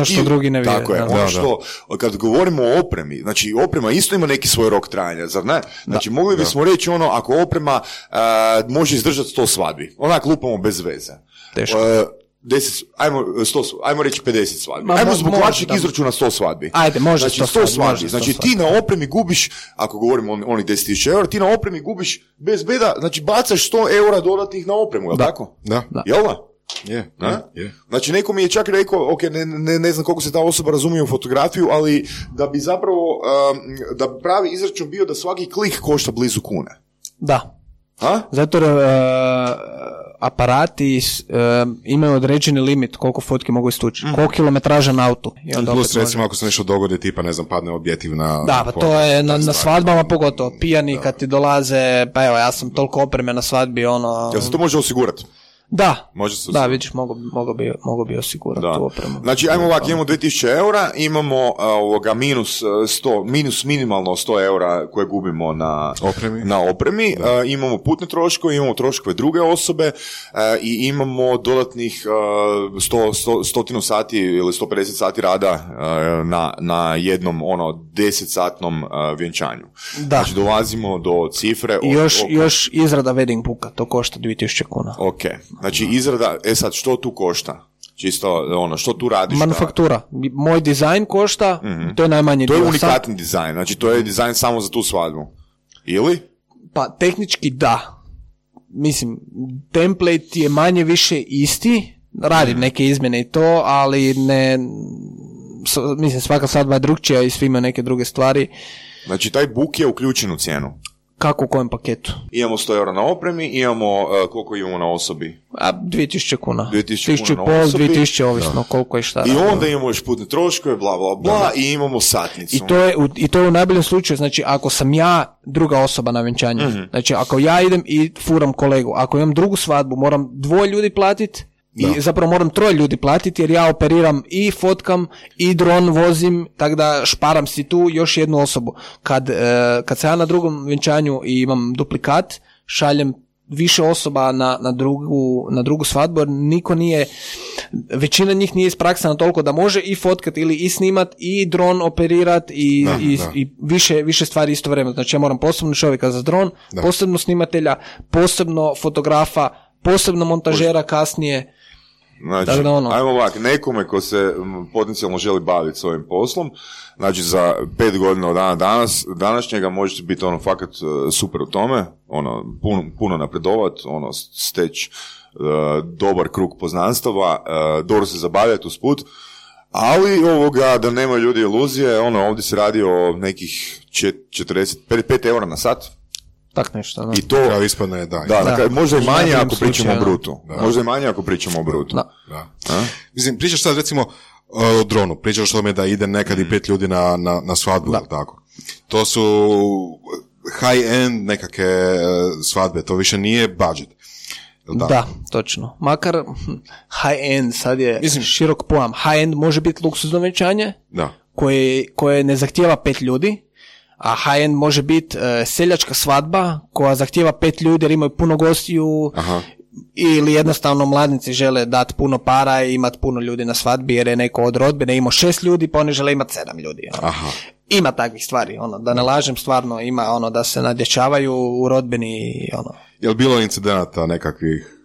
što drugi ne vide. Tako je, što, kad govorimo o opremi, znači oprema isto ima neki svoj rok trajanja, zar ne? Znači, mogli bismo reći ako oprema može izdržati 100 svadbi. Onak lupamo bez veze. Teško. 10, ajmo reći 50 svadbi. Ajmo zbog lakšeg izračuna 100 svadbi. Ajde, može znači, 100 svadbi. Znači ti na opremi gubiš, ako govorimo o onih 10.000 eura, ti na opremi gubiš bez beda, znači bacaš 100 eura dodatnih na opremu, je li tako? Da. Jel da? Je. Znači neko mi je čak rekao, ok, ne znam koliko se ta osoba razumije u fotografiju, ali da bi zapravo da pravi izračun bio da svaki klik košta blizu kune. Da. Zato jer aparati imaju određeni limit koliko fotki mogu istući, koliko kilometraža na autu. I onda plus recimo ako se nešto dogodi, tipa ne znam, padne objektiv na... Da, pa to je na svadbama pogotovo, pijani kad ti dolaze, pa evo, ja sam toliko opreme na svadbi, Jel se to može osigurati? Da, vidiš, mogu bi osigurati tu opremu. Znači, ajmo ovako, imamo 2000 eura, imamo minus minimalno 100 eura koje gubimo na opremi. Imamo putne troškove, imamo troškove druge osobe i imamo dodatnih 100 sati ili 150 sati rada na jednom 10-satnom vjenčanju. Da. Znači, dolazimo do cifre... Još izrada wedding booka, to košta 2000 kuna. Ok. Znači, izrada, sad, što tu košta? Čisto, što tu radiš? Manufaktura. Moj dizajn košta, to je najmanji dio. To je unikatni dizajn, znači to je dizajn samo za tu svadbu. Ili? Pa, tehnički da. Mislim, template je manje više isti, radim neke izmjene i to, ali ne... Mislim, svaka svadba je drugčija i svi imaju neke druge stvari. Znači, taj book je uključen u cijenu? Kako u kojem paketu? Imamo 100 eura na opremi, imamo, koliko imamo na osobi? 2000 kuna. 2000 kuna na osobi. 2000, ovisno koliko je šta. I onda imamo još putne troškove, bla, bla, bla, i imamo satnicu. I to je u najboljem slučaju, znači ako sam ja druga osoba na vjenčanju, znači ako ja idem i furam kolegu, ako imam drugu svadbu, moram 2 ljudi platiti, i zapravo moram 3 ljudi platiti jer ja operiram i fotkam i dron vozim, tako da šparam si tu još jednu osobu. Kad sam ja na drugom vjenčanju i imam duplikat, šaljem više osoba na drugu svadbu jer niko nije, većina njih nije ispraksana toliko da može i fotkat ili i snimat i dron operirat i više stvari istovremeno. Znači ja moram posebno čovjeka za dron, posebno snimatelja, posebno fotografa, posebno montažera kasnije. Znači, ajmo ovak, nekome ko se potencijalno želi baviti s ovim poslom, znači za 5 godina od današnjega možete biti fakat super u tome, puno napredovat, steći dobar krug poznanstava, dobro se zabavljati usput, ali da nema ljudi iluzije, ovdje se radi o nekih 5 eura na sat. Tak nešto, da. I to kao ispadne, možda i manje ako pričamo o brutu. Možda i manje ako pričamo o brutu. Da. Mislim, pričaš sad recimo o dronu, pričaš o tome da ide nekad i 5 ljudi na svadbu, tako. To su high-end nekakve svadbe, to više nije budget. Da, točno. Makar high-end sad je širok pojam. High-end može biti luksuzno vjenčanje koje ne zahtijeva 5 ljudi, a high-end može biti seljačka svadba koja zahtijeva 5 ljudi jer imaju puno gostiju. Aha. Ili jednostavno mladnici žele dati puno para i imati puno ljudi na svadbi jer je neko od rodbine imao 6 ljudi pa oni žele imati 7 ljudi. Aha. Ima takvih stvari, da ne lažem, stvarno ima da se nadječavaju u rodbini i Jel bilo incidenata nekakvih?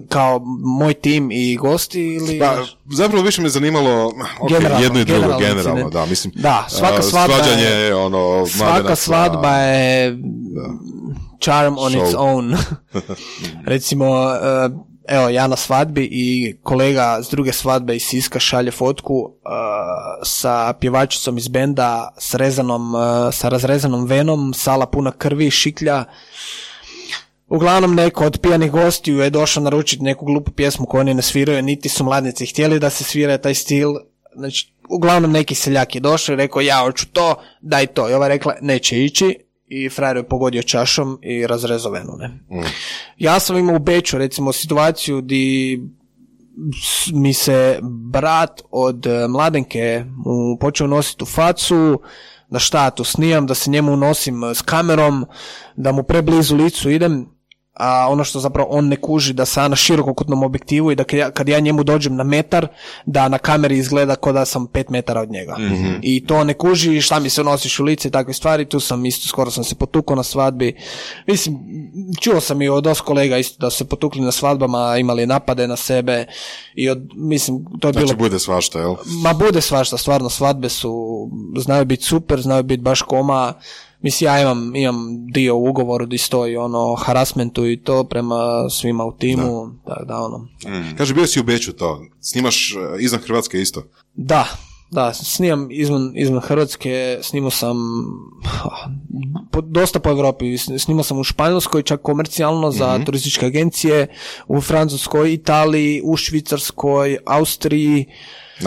Kao moj tim i gosti ili... Pa, zapravo više me zanimalo jedno i drugo, generalno, da, mislim. Da, svaka svadba je, svaka svadba je charm on its own. Recimo, evo, ja na svadbi i kolega s druge svadbe iz Siska šalje fotku sa pjevačicom iz benda sa razrezanom venom, sala puna krvi, šiklja. Uglavnom neko od pijanih gostiju je došao naručiti neku glupu pjesmu koju oni ne sviraju, niti su mladnici htjeli da se svira taj stil. Znači, uglavnom neki seljak je došao i rekao ja hoću to, daj to. I ova rekla neće ići i frajer je pogodio čašom i razrezao venu. Ja sam imao u Beču recimo situaciju di mi se brat od mladenke počeo nositi u facu, da šta tu snijam, da se njemu nosim s kamerom, da mu preblizu licu idem, a ono što zapravo on ne kuži da sam na širokokutnom objektivu i da kad ja njemu dođem na metar, da na kameri izgleda kao da sam 5 metara od njega. Mm-hmm. I to ne kuži, šta mi se nosiš u lice i takve stvari, tu sam isto, skoro sam se potukao na svadbi. Mislim, čuo sam i od dosta kolega isto da su se potukli na svadbama, imali napade na sebe i mislim, to je bilo... Znači bude svašta, jel? Ma bude svašta, stvarno, svadbe znaju biti super, znaju biti baš koma. Mislim, ja imam dio u ugovoru gdje stoji harassmentu i to prema svima u timu. Da. Kaže, bio si u Beču to. Snimaš izvan Hrvatske isto? Da. Da, snimam izvan Hrvatske, snimao sam dosta po Europi, snimao sam u Španjolskoj, čak komercijalno za turističke agencije, u Francuskoj, Italiji, u Švicarskoj, Austriji,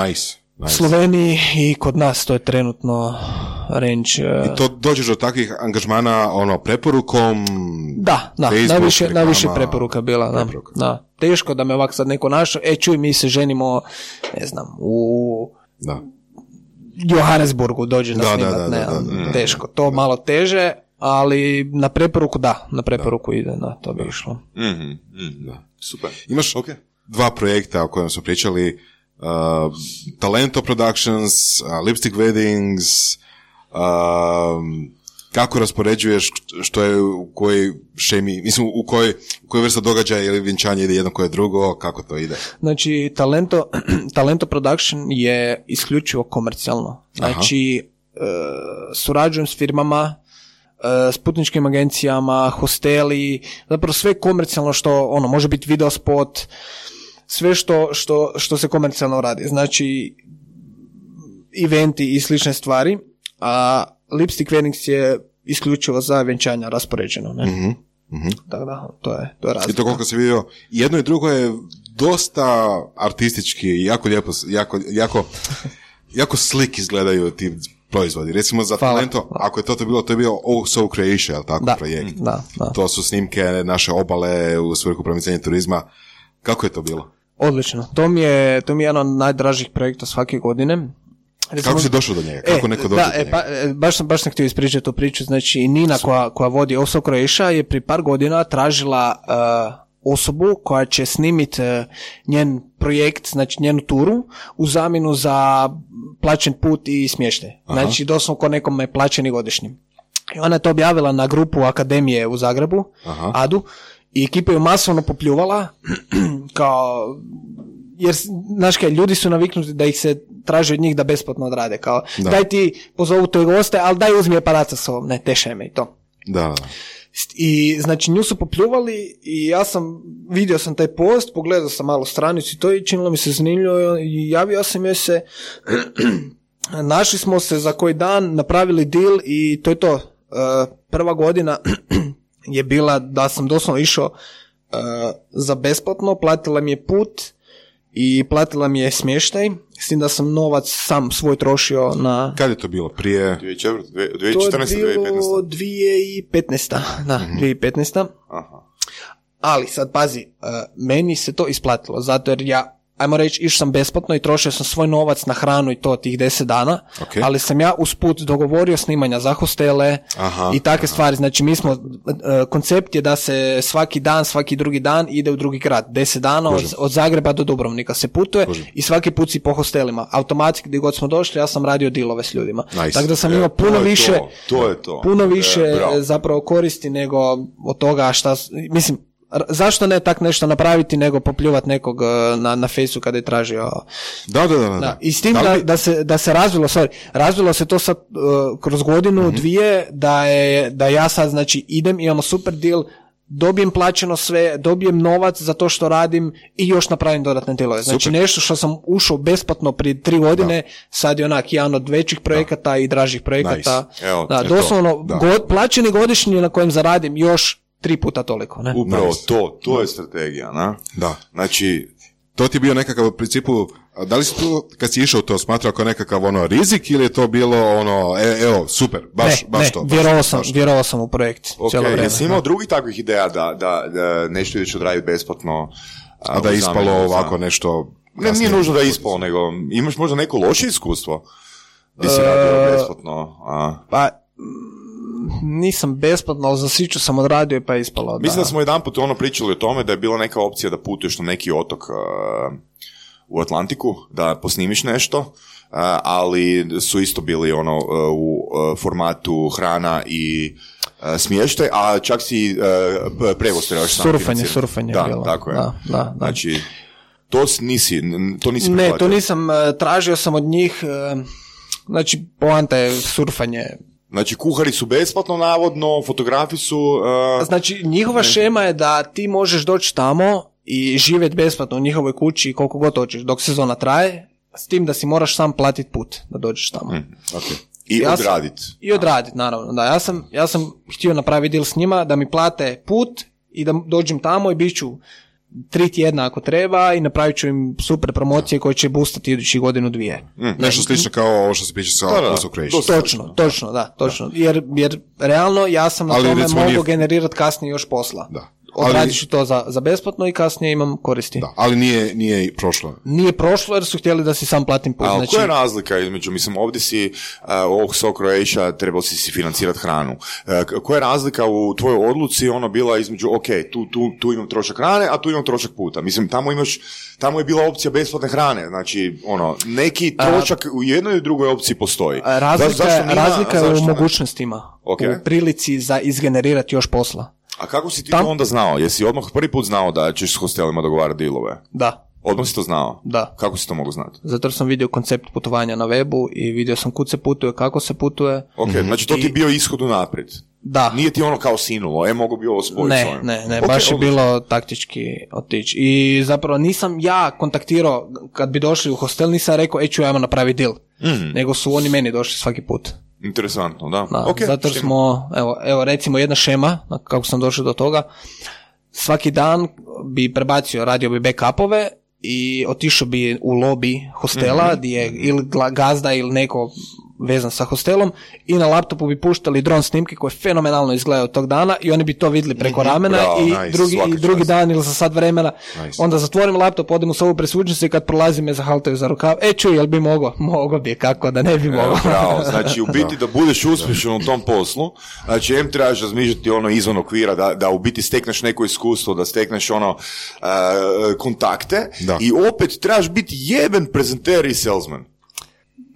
Nice. Sloveniji i kod nas to je trenutno range. I to dođeš do takvih angažmana preporukom? Da, najviše preporuka bila. Da. Teško da me ovak sad neko našao, čuj, mi se ženimo, ne znam, u Johannesburgu dođe na snimat, teško. To malo teže, ali na preporuku ide, to bi išlo. Super. Imaš dva projekta o kojima smo pričali, Talento Productions, Lipstick Weddings, kako raspoređuješ, što je u kojoj šemi, mislim u kojoj vrsta događaja ili vjenčanje ide jedno koje drugo, kako to ide? Znači, Talento Production je isključivo komercijalno. Znači, surađujem s firmama, s putničkim agencijama, hosteli, zapravo sve komercijalno što, može biti video spot, sve što se komercijalno radi. Znači, eventi i slične stvari, a Lipstick Weddings je isključivo za vjenčanja raspoređeno. Ne? Da, to je razlika. I to koliko se vidio, jedno i drugo je dosta artistički, jako lijepo, jako slik izgledaju ti proizvodi. Recimo za Talento, ako je to bilo, to je bio Oh So Croatia, tako projekt. Da. To su snimke naše obale u svrhu promicanja turizma. Kako je to bilo? Odlično. To mi je jedan od najdražih projekta svake godine. Recimo, kako si došao do njega? Kako neko dođe do njega? Baš sam htio ispričati tu priču. Znači, Nina koja vodi Oh So Croatia je prije par godina tražila osobu koja će snimiti njen projekt, znači njenu turu, u zamjenu za plaćen put i smještaj. Znači, doslovno ko nekome plaćeni godišnji. I ona je to objavila na grupu Akademije u Zagrebu, ADU, i ekipa je masovno popljuvala, kao, jer, znaš kaj, ljudi su naviknuti da ih se traži od njih da besplatno odrade, kao, daj ti pozovu toj goste, ali daj uzmi aparat sa sobom, ne, tešaj me i to. Da. I, znači, nju su popljuvali i ja vidio sam taj post, pogledao sam malo stranicu i to i činilo mi se zanimljivo i javio sam joj se, našli smo se za koji dan, napravili deal i to je to. Prva godina je bila da sam doslovno išao za besplatno, platila mi je put i platila mi je smještaj, s tim da sam novac sam svoj trošio na... Kad je to bilo? Prije... 2014. To je bilo 2015. Da, 2015. Aha. Ali sad pazi, meni se to isplatilo, zato jer ja, ajmo reći, išao sam besplatno i trošio sam svoj novac na hranu i to tih 10 dana, ali sam ja usput dogovorio snimanja za hostele i takve stvari. Znači, mi smo, koncept je da se svaki drugi dan ide u drugi grad. 10 dana od Zagreba do Dubrovnika se putuje i svaki put si po hostelima. Automatski gdje god smo došli, ja sam radio dealove s ljudima. Nice. Tako da sam imao puno više zapravo koristi nego od toga mislim, zašto ne tak nešto napraviti nego popljuvati nekog na Facebooku kada je tražio. Da. I s tim da se razvilo se to sad kroz godinu, dvije, da ja sad, znači, imamo super deal, dobijem plaćeno sve, dobijem novac za to što radim i još napravim dodatne dealove. Znači, nešto što sam ušao besplatno prije 3 godine, sad je jedan od većih projekata i dražih projekata. Nice. Evo, doslovno, plaćeni godišnji na kojem zaradim još 3 puta toliko, ne? Upravo to je strategija, na? Da. Znači, to ti je bio nekakav u principu, da li si tu, kad si išao to, smatrao kao nekakav rizik ili je to bilo evo, super, baš to? Vjerovao sam u projekt. Ok, jesi imao drugih takvih ideja da nešto ideš odraditi besplatno? A da je ispalo ovako nešto... Ne, nije nužno da je ispalo, nego imaš možda neko loše iskustvo gdje si radio besplatno? Pa, nisam besplatno, ali za Siču sam odradio pa je ispalo. Mislim da smo jedanput pričali o tome da je bila neka opcija da putuješ na neki otok u Atlantiku, da posnimiš nešto, ali su isto bili u formatu hrana i smještaj, a čak si prevoz trebaš sam financirati. Surfanje je bilo. Tako je. Da. Znači, to nisi prihvatio. Ne, to nisam, tražio sam od njih, znači, poanta je surfanje. Znači, kuhari su besplatno, navodno, fotografi su... Znači, njihova šema je da ti možeš doći tamo i živjeti besplatno u njihovoj kući koliko god hoćeš, dok sezona traje, s tim da si moraš sam platiti put da dođeš tamo. Okay. I odraditi, naravno. Da, ja sam htio napraviti deal s njima da mi plate put i da dođem tamo i bit ću 3 tjedna ako treba i napravit ću im super promocije koje će boostati idući godinu 2. Nešto slično kao ovo što se piše sa House of Creation. Točno. Jer realno ja sam na tome mogu generirati kasnije još posla. Da. Odradiš to za besplatno i kasnije imam koristi. Da, ali nije prošlo. Nije prošlo jer su htjeli da si sam platim put. Ali koja je razlika između, mislim, ovdje si ovog So Croatia trebao si financirati hranu. Koja je razlika u tvojoj odluci bila između, ok, tu imam trošak hrane, a tu imam trošak puta. Mislim, tamo je bila opcija besplatne hrane. Znači, neki trošak u jednoj i drugoj opciji postoji. Razlika je u mogućnostima. Okay. U prilici za izgenerirati još posla. A kako si ti to onda znao? Jesi odmah prvi put znao da ćeš s hostelima dogovarati dealove? Da. Odmah si to znao? Da. Kako si to mogu znati? Zato sam vidio koncept putovanja na webu i vidio sam kud se putuje, kako se putuje. Ok, znači to ti je bio ishod unaprijed? Da. Nije ti kao sinulo, mogu bi ovo spojiti s ovim? Ne, okay, baš je bilo taktički otići. I zapravo nisam ja kontaktirao, kad bi došli u hostel, nisam rekao, ću ajmo napraviti deal. Nego su oni meni došli svaki put. Interesantno, da. Okay, zato smo, evo recimo jedna šema, kako sam došao do toga, svaki dan bi prebacio, radio bi backupove i otišao bi u lobby hostela gdje je ili gazda ili neko vezan sa hostelom i na laptopu bi puštali dron snimke koje fenomenalno izgledaju tog dana i oni bi to vidjeli preko ramena. Bravo, i drugi dan ili za sat vremena onda zatvorim laptop, odem u sobu presvučem se i kad prolazim me zahaltaju za rukav, čuj, jel bi mogao bi, kako da ne bi mogao. Bravo, znači u biti da budeš uspješan u tom poslu, znači trebaš razmišljati izvan okvira, da u biti stekneš neko iskustvo, da stekneš kontakte i opet trebaš biti jeben prezenter i salesman.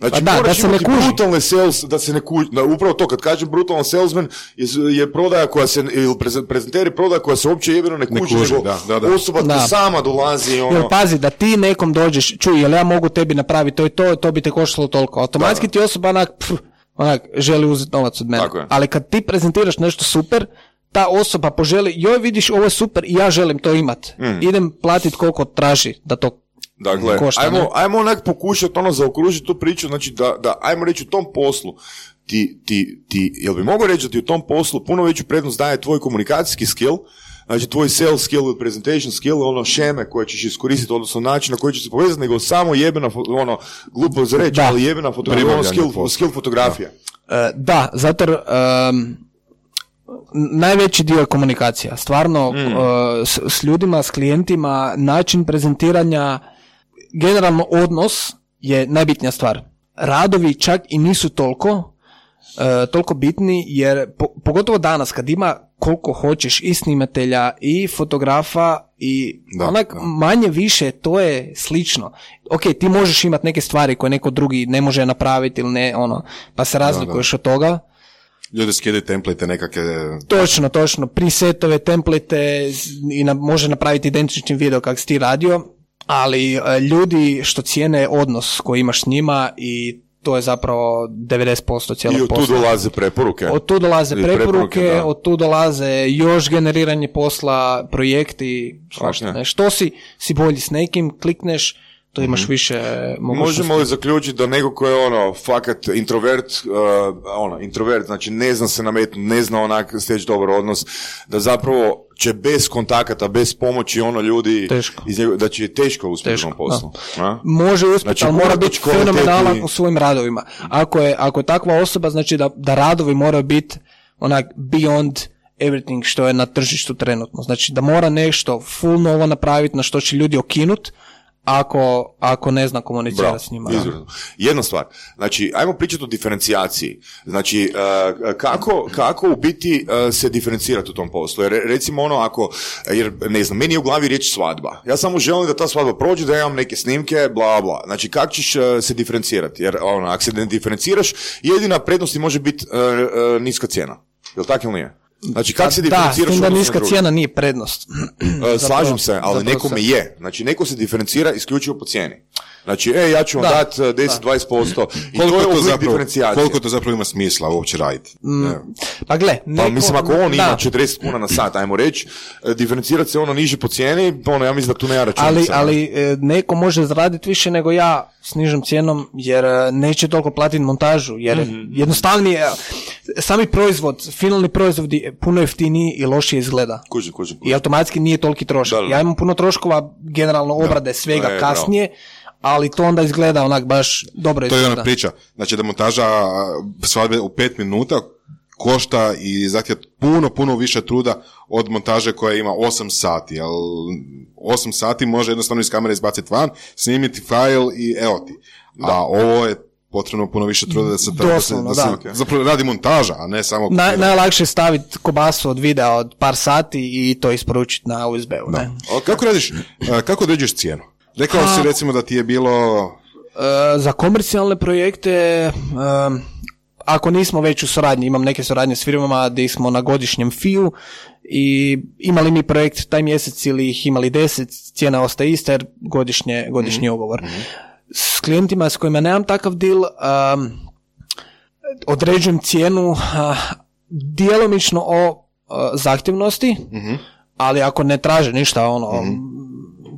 Znači, da se ne kuži. Brutalne sales, da se ne kuži. Upravo to, kad kažem brutalan salesman, je prodaja koja se, ili prezenteri prodaja koja se uopće jebeno ne kuži, nego osoba koja sama dolazi. Jel, pazi, da ti nekom dođeš, čuj, jel ja mogu tebi napraviti to bi te koštalo toliko. Automatski ti osoba želi uzeti novac od mene. Ali kad ti prezentiraš nešto super, ta osoba poželi, joj vidiš, ovo je super i ja želim to imat. Idem platiti koliko traži da to dakle, ajmo onak pokušati zaokružiti tu priču, znači da ajmo reći u tom poslu ti jel bi mogao reći da ti u tom poslu puno veću prednost daje tvoj komunikacijski skill, znači tvoj sales skill ili presentation skill, šeme koje ćeš iskoristiti, odnosno način na koji ćeš se povezati, nego samo jebena, glupo za reći, ali jebena skill fotografija. Da, zato najveći dio je komunikacija. Stvarno, s ljudima, s klijentima, način prezentiranja, generalno odnos je najbitnija stvar. Radovi čak i nisu toliko bitni, jer pogotovo danas kad ima koliko hoćeš i snimatelja i fotografa i manje više to je slično. Ok, ti možeš imati neke stvari koje neko drugi ne može napraviti ili ne, pa se razlikuješ od toga. Ljudi skidaju template nekakve... Točno, presetove, template i može napraviti identični video kak si ti radio, ali ljudi što cijene odnos koji imaš s njima i to je zapravo 90% cijelog posla. I od tu dolaze preporuke. Od tu dolaze preporuke, od tu dolaze još generiranje posla, projekti, što si bolji s nekim, klikneš, to imaš više mogućnosti. Možemo li zaključiti da neko ko je fakat introvert, znači ne zna se nametnuti, ne zna onak steći dobar odnos, da zapravo će bez kontakata, bez pomoći ljudi da će teško uspjeti u poslu. Može uspjeti, znači, ali mora biti fenomenalan u svojim radovima. Ako je takva osoba, znači da radovi moraju biti beyond everything što je na tržištu trenutno. Znači da mora nešto full novo napraviti na što će ljudi okinut, ako ne zna komunicirati s njima. Jedna stvar, znači, ajmo pričati o diferencijaciji. Znači, kako u biti se diferencirati u tom poslu? Jer recimo jer ne znam, meni je u glavi riječ svadba. Ja samo želim da ta svadba prođe, da imam neke snimke, bla, bla. Znači, kako ćeš se diferencirati? Jer ako se ne diferenciraš, jedina prednost može biti niska cijena. Jel' tako ili nije? Znači, kako se Da, s diferenciraš tim da odnosno na niska druge? cijena nije prednost. Slažem se, ali zapravo nekome se- je. Znači, neko se diferencira isključivo po cijeni. Znači, ja ću vam Da, dati 10-20% i to Koliko je to, oblik zapravo, diferencijacije. koliko to zapravo ima smisla uopće raditi? Pa gle, Pa mislim, ako on ima da. 40 kuna na sat, ajmo reći, diferencirati se ono niže po cijeni, ono, ja mislim da tu nema računica. Ali neko može zaraditi više nego ja s nižom cijenom jer neće toliko platiti montažu jer jednostavnije sami proizvod, finalni proizvod je puno jeftiniji i lošije izgleda. Kužim. I automatski nije toliki trošak. Da. Ja imam puno troškova generalno obrade svega bravo. kasnije, ali to onda izgleda onak baš dobro To je izgleda. ona priča. Znači da montaža svadbe u 5 minuta košta i zahtjeva puno više truda od montaže koja ima 8 sati. Jer 8 sati može jednostavno iz kamere izbaciti van, snimiti fajl i evo ti. A ovo je potrebno puno više truda da se, Doslovno, da se da. zapravo radi montaža, a ne samo... Najlakše je staviti kobasu od videa od par sati i to isporučiti na USB-u. Ne? Kako određuješ cijenu? Rekao si recimo da ti je bilo... Za komercijalne projekte, ako nismo već u suradnji, imam neke suradnje s firmama gdje smo na godišnjem fiju i imali mi projekt taj mjesec ili ih imali 10, cijena ostaje ista jer godišnji ugovor. S klijentima s kojima nemam takav deal, određujem cijenu djelomično o zahtjevnosti, ali ako ne traže ništa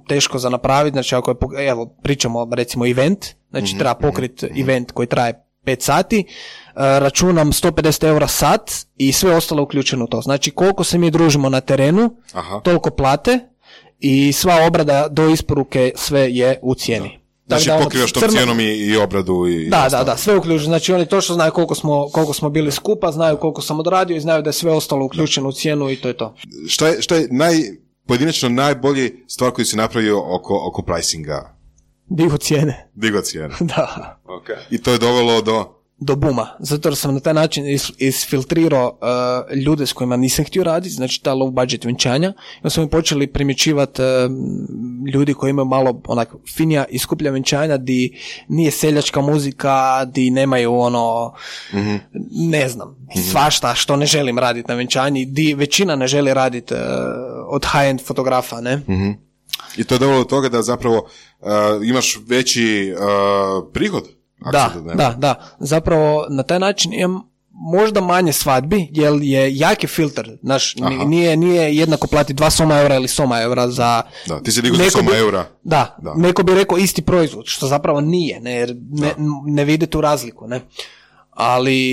teško za napraviti, znači ako je, evo, pričamo recimo event, znači treba pokriti event koji traje 5 sati, računam 150 eura sat i sve ostalo uključeno u to. Znači koliko se mi družimo na terenu, toliko plate i sva obrada do isporuke sve je u cijeni. Znači pokrivaš tom cijenom i obradu i... Da, sve uključeno. Znači oni točno znaju koliko smo bili skupa, znaju koliko sam odradio i znaju da je sve ostalo uključeno u cijenu i to je to. Šta je pojedinačno najbolji stvar koju si napravio oko pricinga? Digo cijene. Da. Okay. I to je dovelo do buma, zato jer sam na taj način isfiltrirao ljude s kojima nisam htio raditi, znači ta low budget venčanja, i onda smo mi počeli primjećivati ljudi koji imaju malo onak finija i skuplja venčanja, di nije seljačka muzika, di nemaju ne znam, svašta što ne želim raditi na venčanji, di većina ne želi raditi od high-end fotografa, ne? I to je dovelo do toga da zapravo imaš veći prihod. Da. Zapravo na taj način imam možda manje svadbi, jer je jaki filter. Znaš, nije jednako plati 2 soma eura ili soma eura za... Da, ti si digao za soma eura. Da, neko bi rekao isti proizvod, što zapravo nije, ne vidi tu razliku, ne.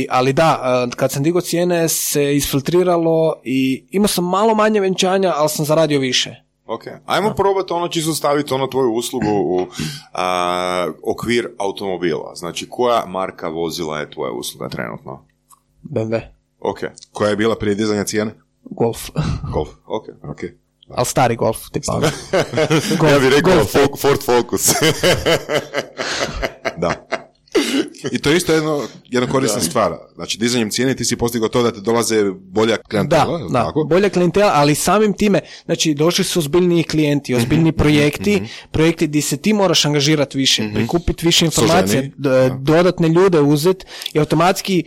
Ali da, kad sam digao cijene se isfiltriralo i imao sam malo manje venčanja, ali sam zaradio više. Ok, ajmo probati čisto staviti tvoju uslugu u okvir automobila. Znači, koja marka vozila je tvoja usluga trenutno? BMW. Ok. Koja je bila prije dizanja cijene? Golf. Ok. Ali stari Golf, tipa. Ja bih rekao Ford Focus. Da. I to je isto jedna korisna stvar. Znači, dizanjem cijene ti si postigao to da te dolaze bolja klijentela. Da, bolja klijentela, ali samim time, znači, došli su ozbiljniji klijenti, ozbiljniji projekti gdje se ti moraš angažirati više, prikupiti više informacija, dodatne ljude uzeti i automatski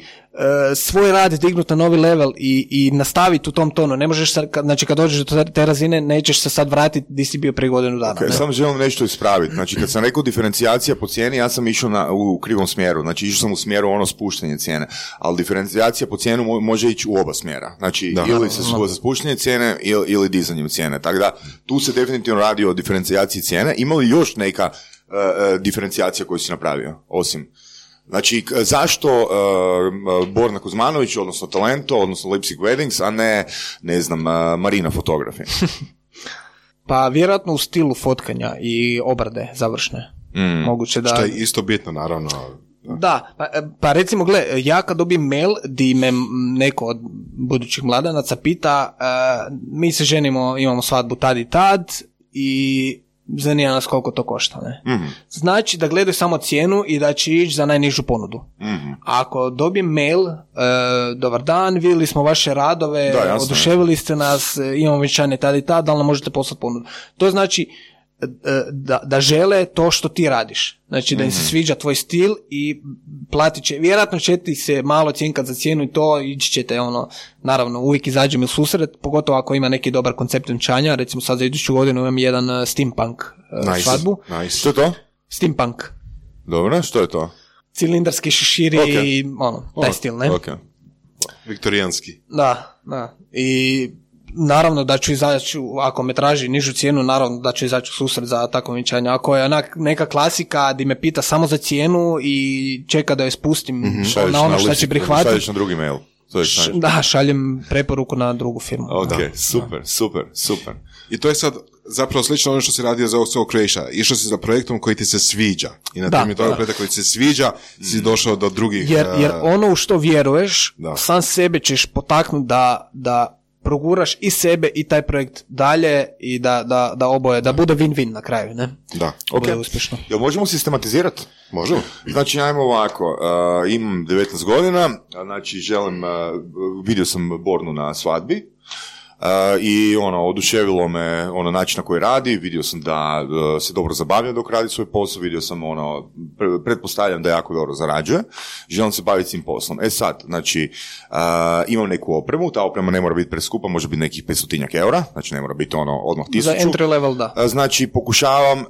svoj rad dignuti na novi level i nastaviti u tom tonu. Ne možeš znači kad dođeš do te razine, nećeš se sad vratiti gdje si bio prije godinu dana. Okay, samo želim nešto ispraviti. Znači, kad sam rekao diferencijacija po cijeni, ja sam išao u krivom smjeru. Znači, išao sam u smjeru spuštanje cijene. Ali diferencijacija po cijenu može ići u oba smjera. Znači, ili se za spuštanje cijene ili dizanjem cijene. Tako da, tu se definitivno radi o diferencijaciji cijene. Ima li još neka diferencijacija koju si napravio, osim... Znači, zašto Borna Kuzmanović, odnosno Talento, odnosno Lipstick Weddings, a ne znam, Marina Photography? Pa vjerojatno u stilu fotkanja i obrade završne. Moguće da... Što je isto bitno, naravno. Da, pa recimo, gle, ja kad dobijem mail di me neko od budućih mladanaca pita, mi se ženimo, imamo svadbu tad i tad i... zanima nas koliko to košta, ne? Znači da gledaju samo cijenu i da će ići za najnižu ponudu. Ako dobijem mail, dobar dan, vidjeli smo vaše radove, oduševili ste nas, imamo venčanje tada i tada, da li nam možete poslati ponudu. To znači da žele to što ti radiš. Znači da im se sviđa tvoj stil i platit će, vjerojatno će ti se malo cijenkat za cijenu i to, ići ćete naravno uvijek izađem u susret, pogotovo ako ima neki dobar koncept venčanja, recimo sad za iduću godinu imam jedan steampunk svadbu. Nice. Što je to? Steampunk. Dobro, što je to? Cilindarski šeširi i taj stil, ne? Okay. Viktorijanski. Da. I naravno da ću izaći, ako me traži nižu cijenu, naravno da ću izaći u susret za takvo venčanje. Ako je neka klasika di me pita samo za cijenu i čeka da je spustim na ono što će prihvatiti. Šalješ na drugi mail. Šaljem preporuku na drugu firmu. Ok, super. I to je sad zapravo slično ono što si radio za Soul Croatia. Išao si za projektom koji ti se sviđa. I na temelju toga projekta koji ti se sviđa si došao do drugih... Jer ono u što vjeruješ, sam sebe ćeš potaknuti da proguraš i sebe i taj projekt dalje i da oboje, da bude win-win na kraju, ne? Da. Ok. Uspješno. Jel možemo sistematizirati? Možemo. Znači, ajmo ovako, imam 19 godina, znači vidio sam Bornu na svadbi, i oduševilo me način na koji radi, vidio sam da se dobro zabavlja dok radi svoj posao, vidio sam pretpostavljam da jako dobro zarađuje, želim se baviti tim poslom. Sad, znači, imam neku opremu, ta oprema ne mora biti preskupa, može biti nekih 500 eura, znači ne mora biti odmah 1000. Za entry level, da. Znači, pokušavam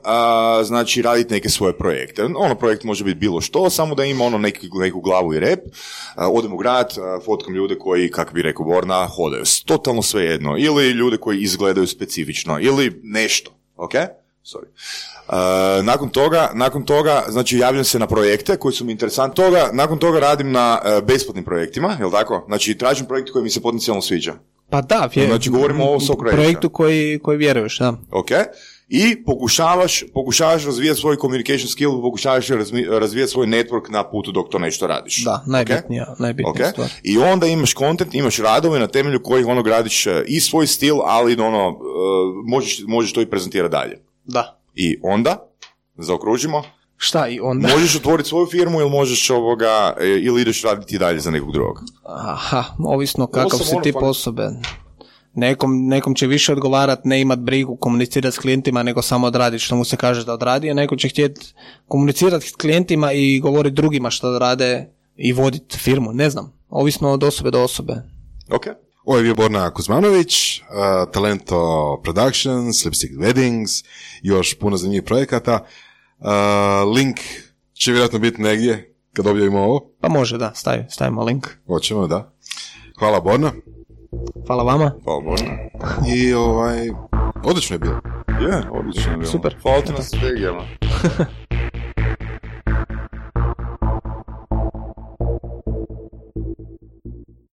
raditi neke svoje projekte. Projekt može biti bilo što, samo da ima neku glavu i rep, odem u grad, fotkam ljude koji, kako bi rekao Borna, hodaju totalno sve jedno, ili ljude koji izgledaju specifično, ili nešto, ok? Sorry. Nakon toga, znači javljam se na projekte koji su mi interesantni. Nakon toga radim na besplatnim projektima, jel tako? Znači tražim projekt koji mi se potencijalno sviđa. Pa da, znači govorimo o Soul Croatia. Projektu koji vjeruješ, da. Ok. I pokušavaš razvijati svoj communication skill, pokušavaš razvijati svoj network na putu dok to nešto radiš. Da, najbitnija stvar. I onda imaš content, imaš radove na temelju kojih gradiš i svoj stil, ali možeš to i prezentirati dalje. Da. I onda, zaokružimo, šta i onda? Možeš otvoriti svoju firmu ili možeš ili ideš raditi dalje za nekog drugog. Aha, ovisno kakav si tip osobe. Nekom će više odgovarati ne imat brigu, komunicirati s klijentima, nego samo odraditi što mu se kaže da odradi, a neko će htjeti komunicirati s klijentima i govoriti drugima što rade i voditi firmu, ne znam. Ovisno od osobe do osobe. Ok. Ovo je bio Borna Kuzmanović, Talento Productions, Lipstick Weddings, još puno zanimljivih projekata. Link će vjerojatno biti negdje kad objavimo ovo. Pa može, da, stavimo link. Hoćemo, da. Hvala Borna. Hvala vama. Hvala Borna. I odlično je bilo. Odlično je bilo. Super. Hvala ti na strategijama.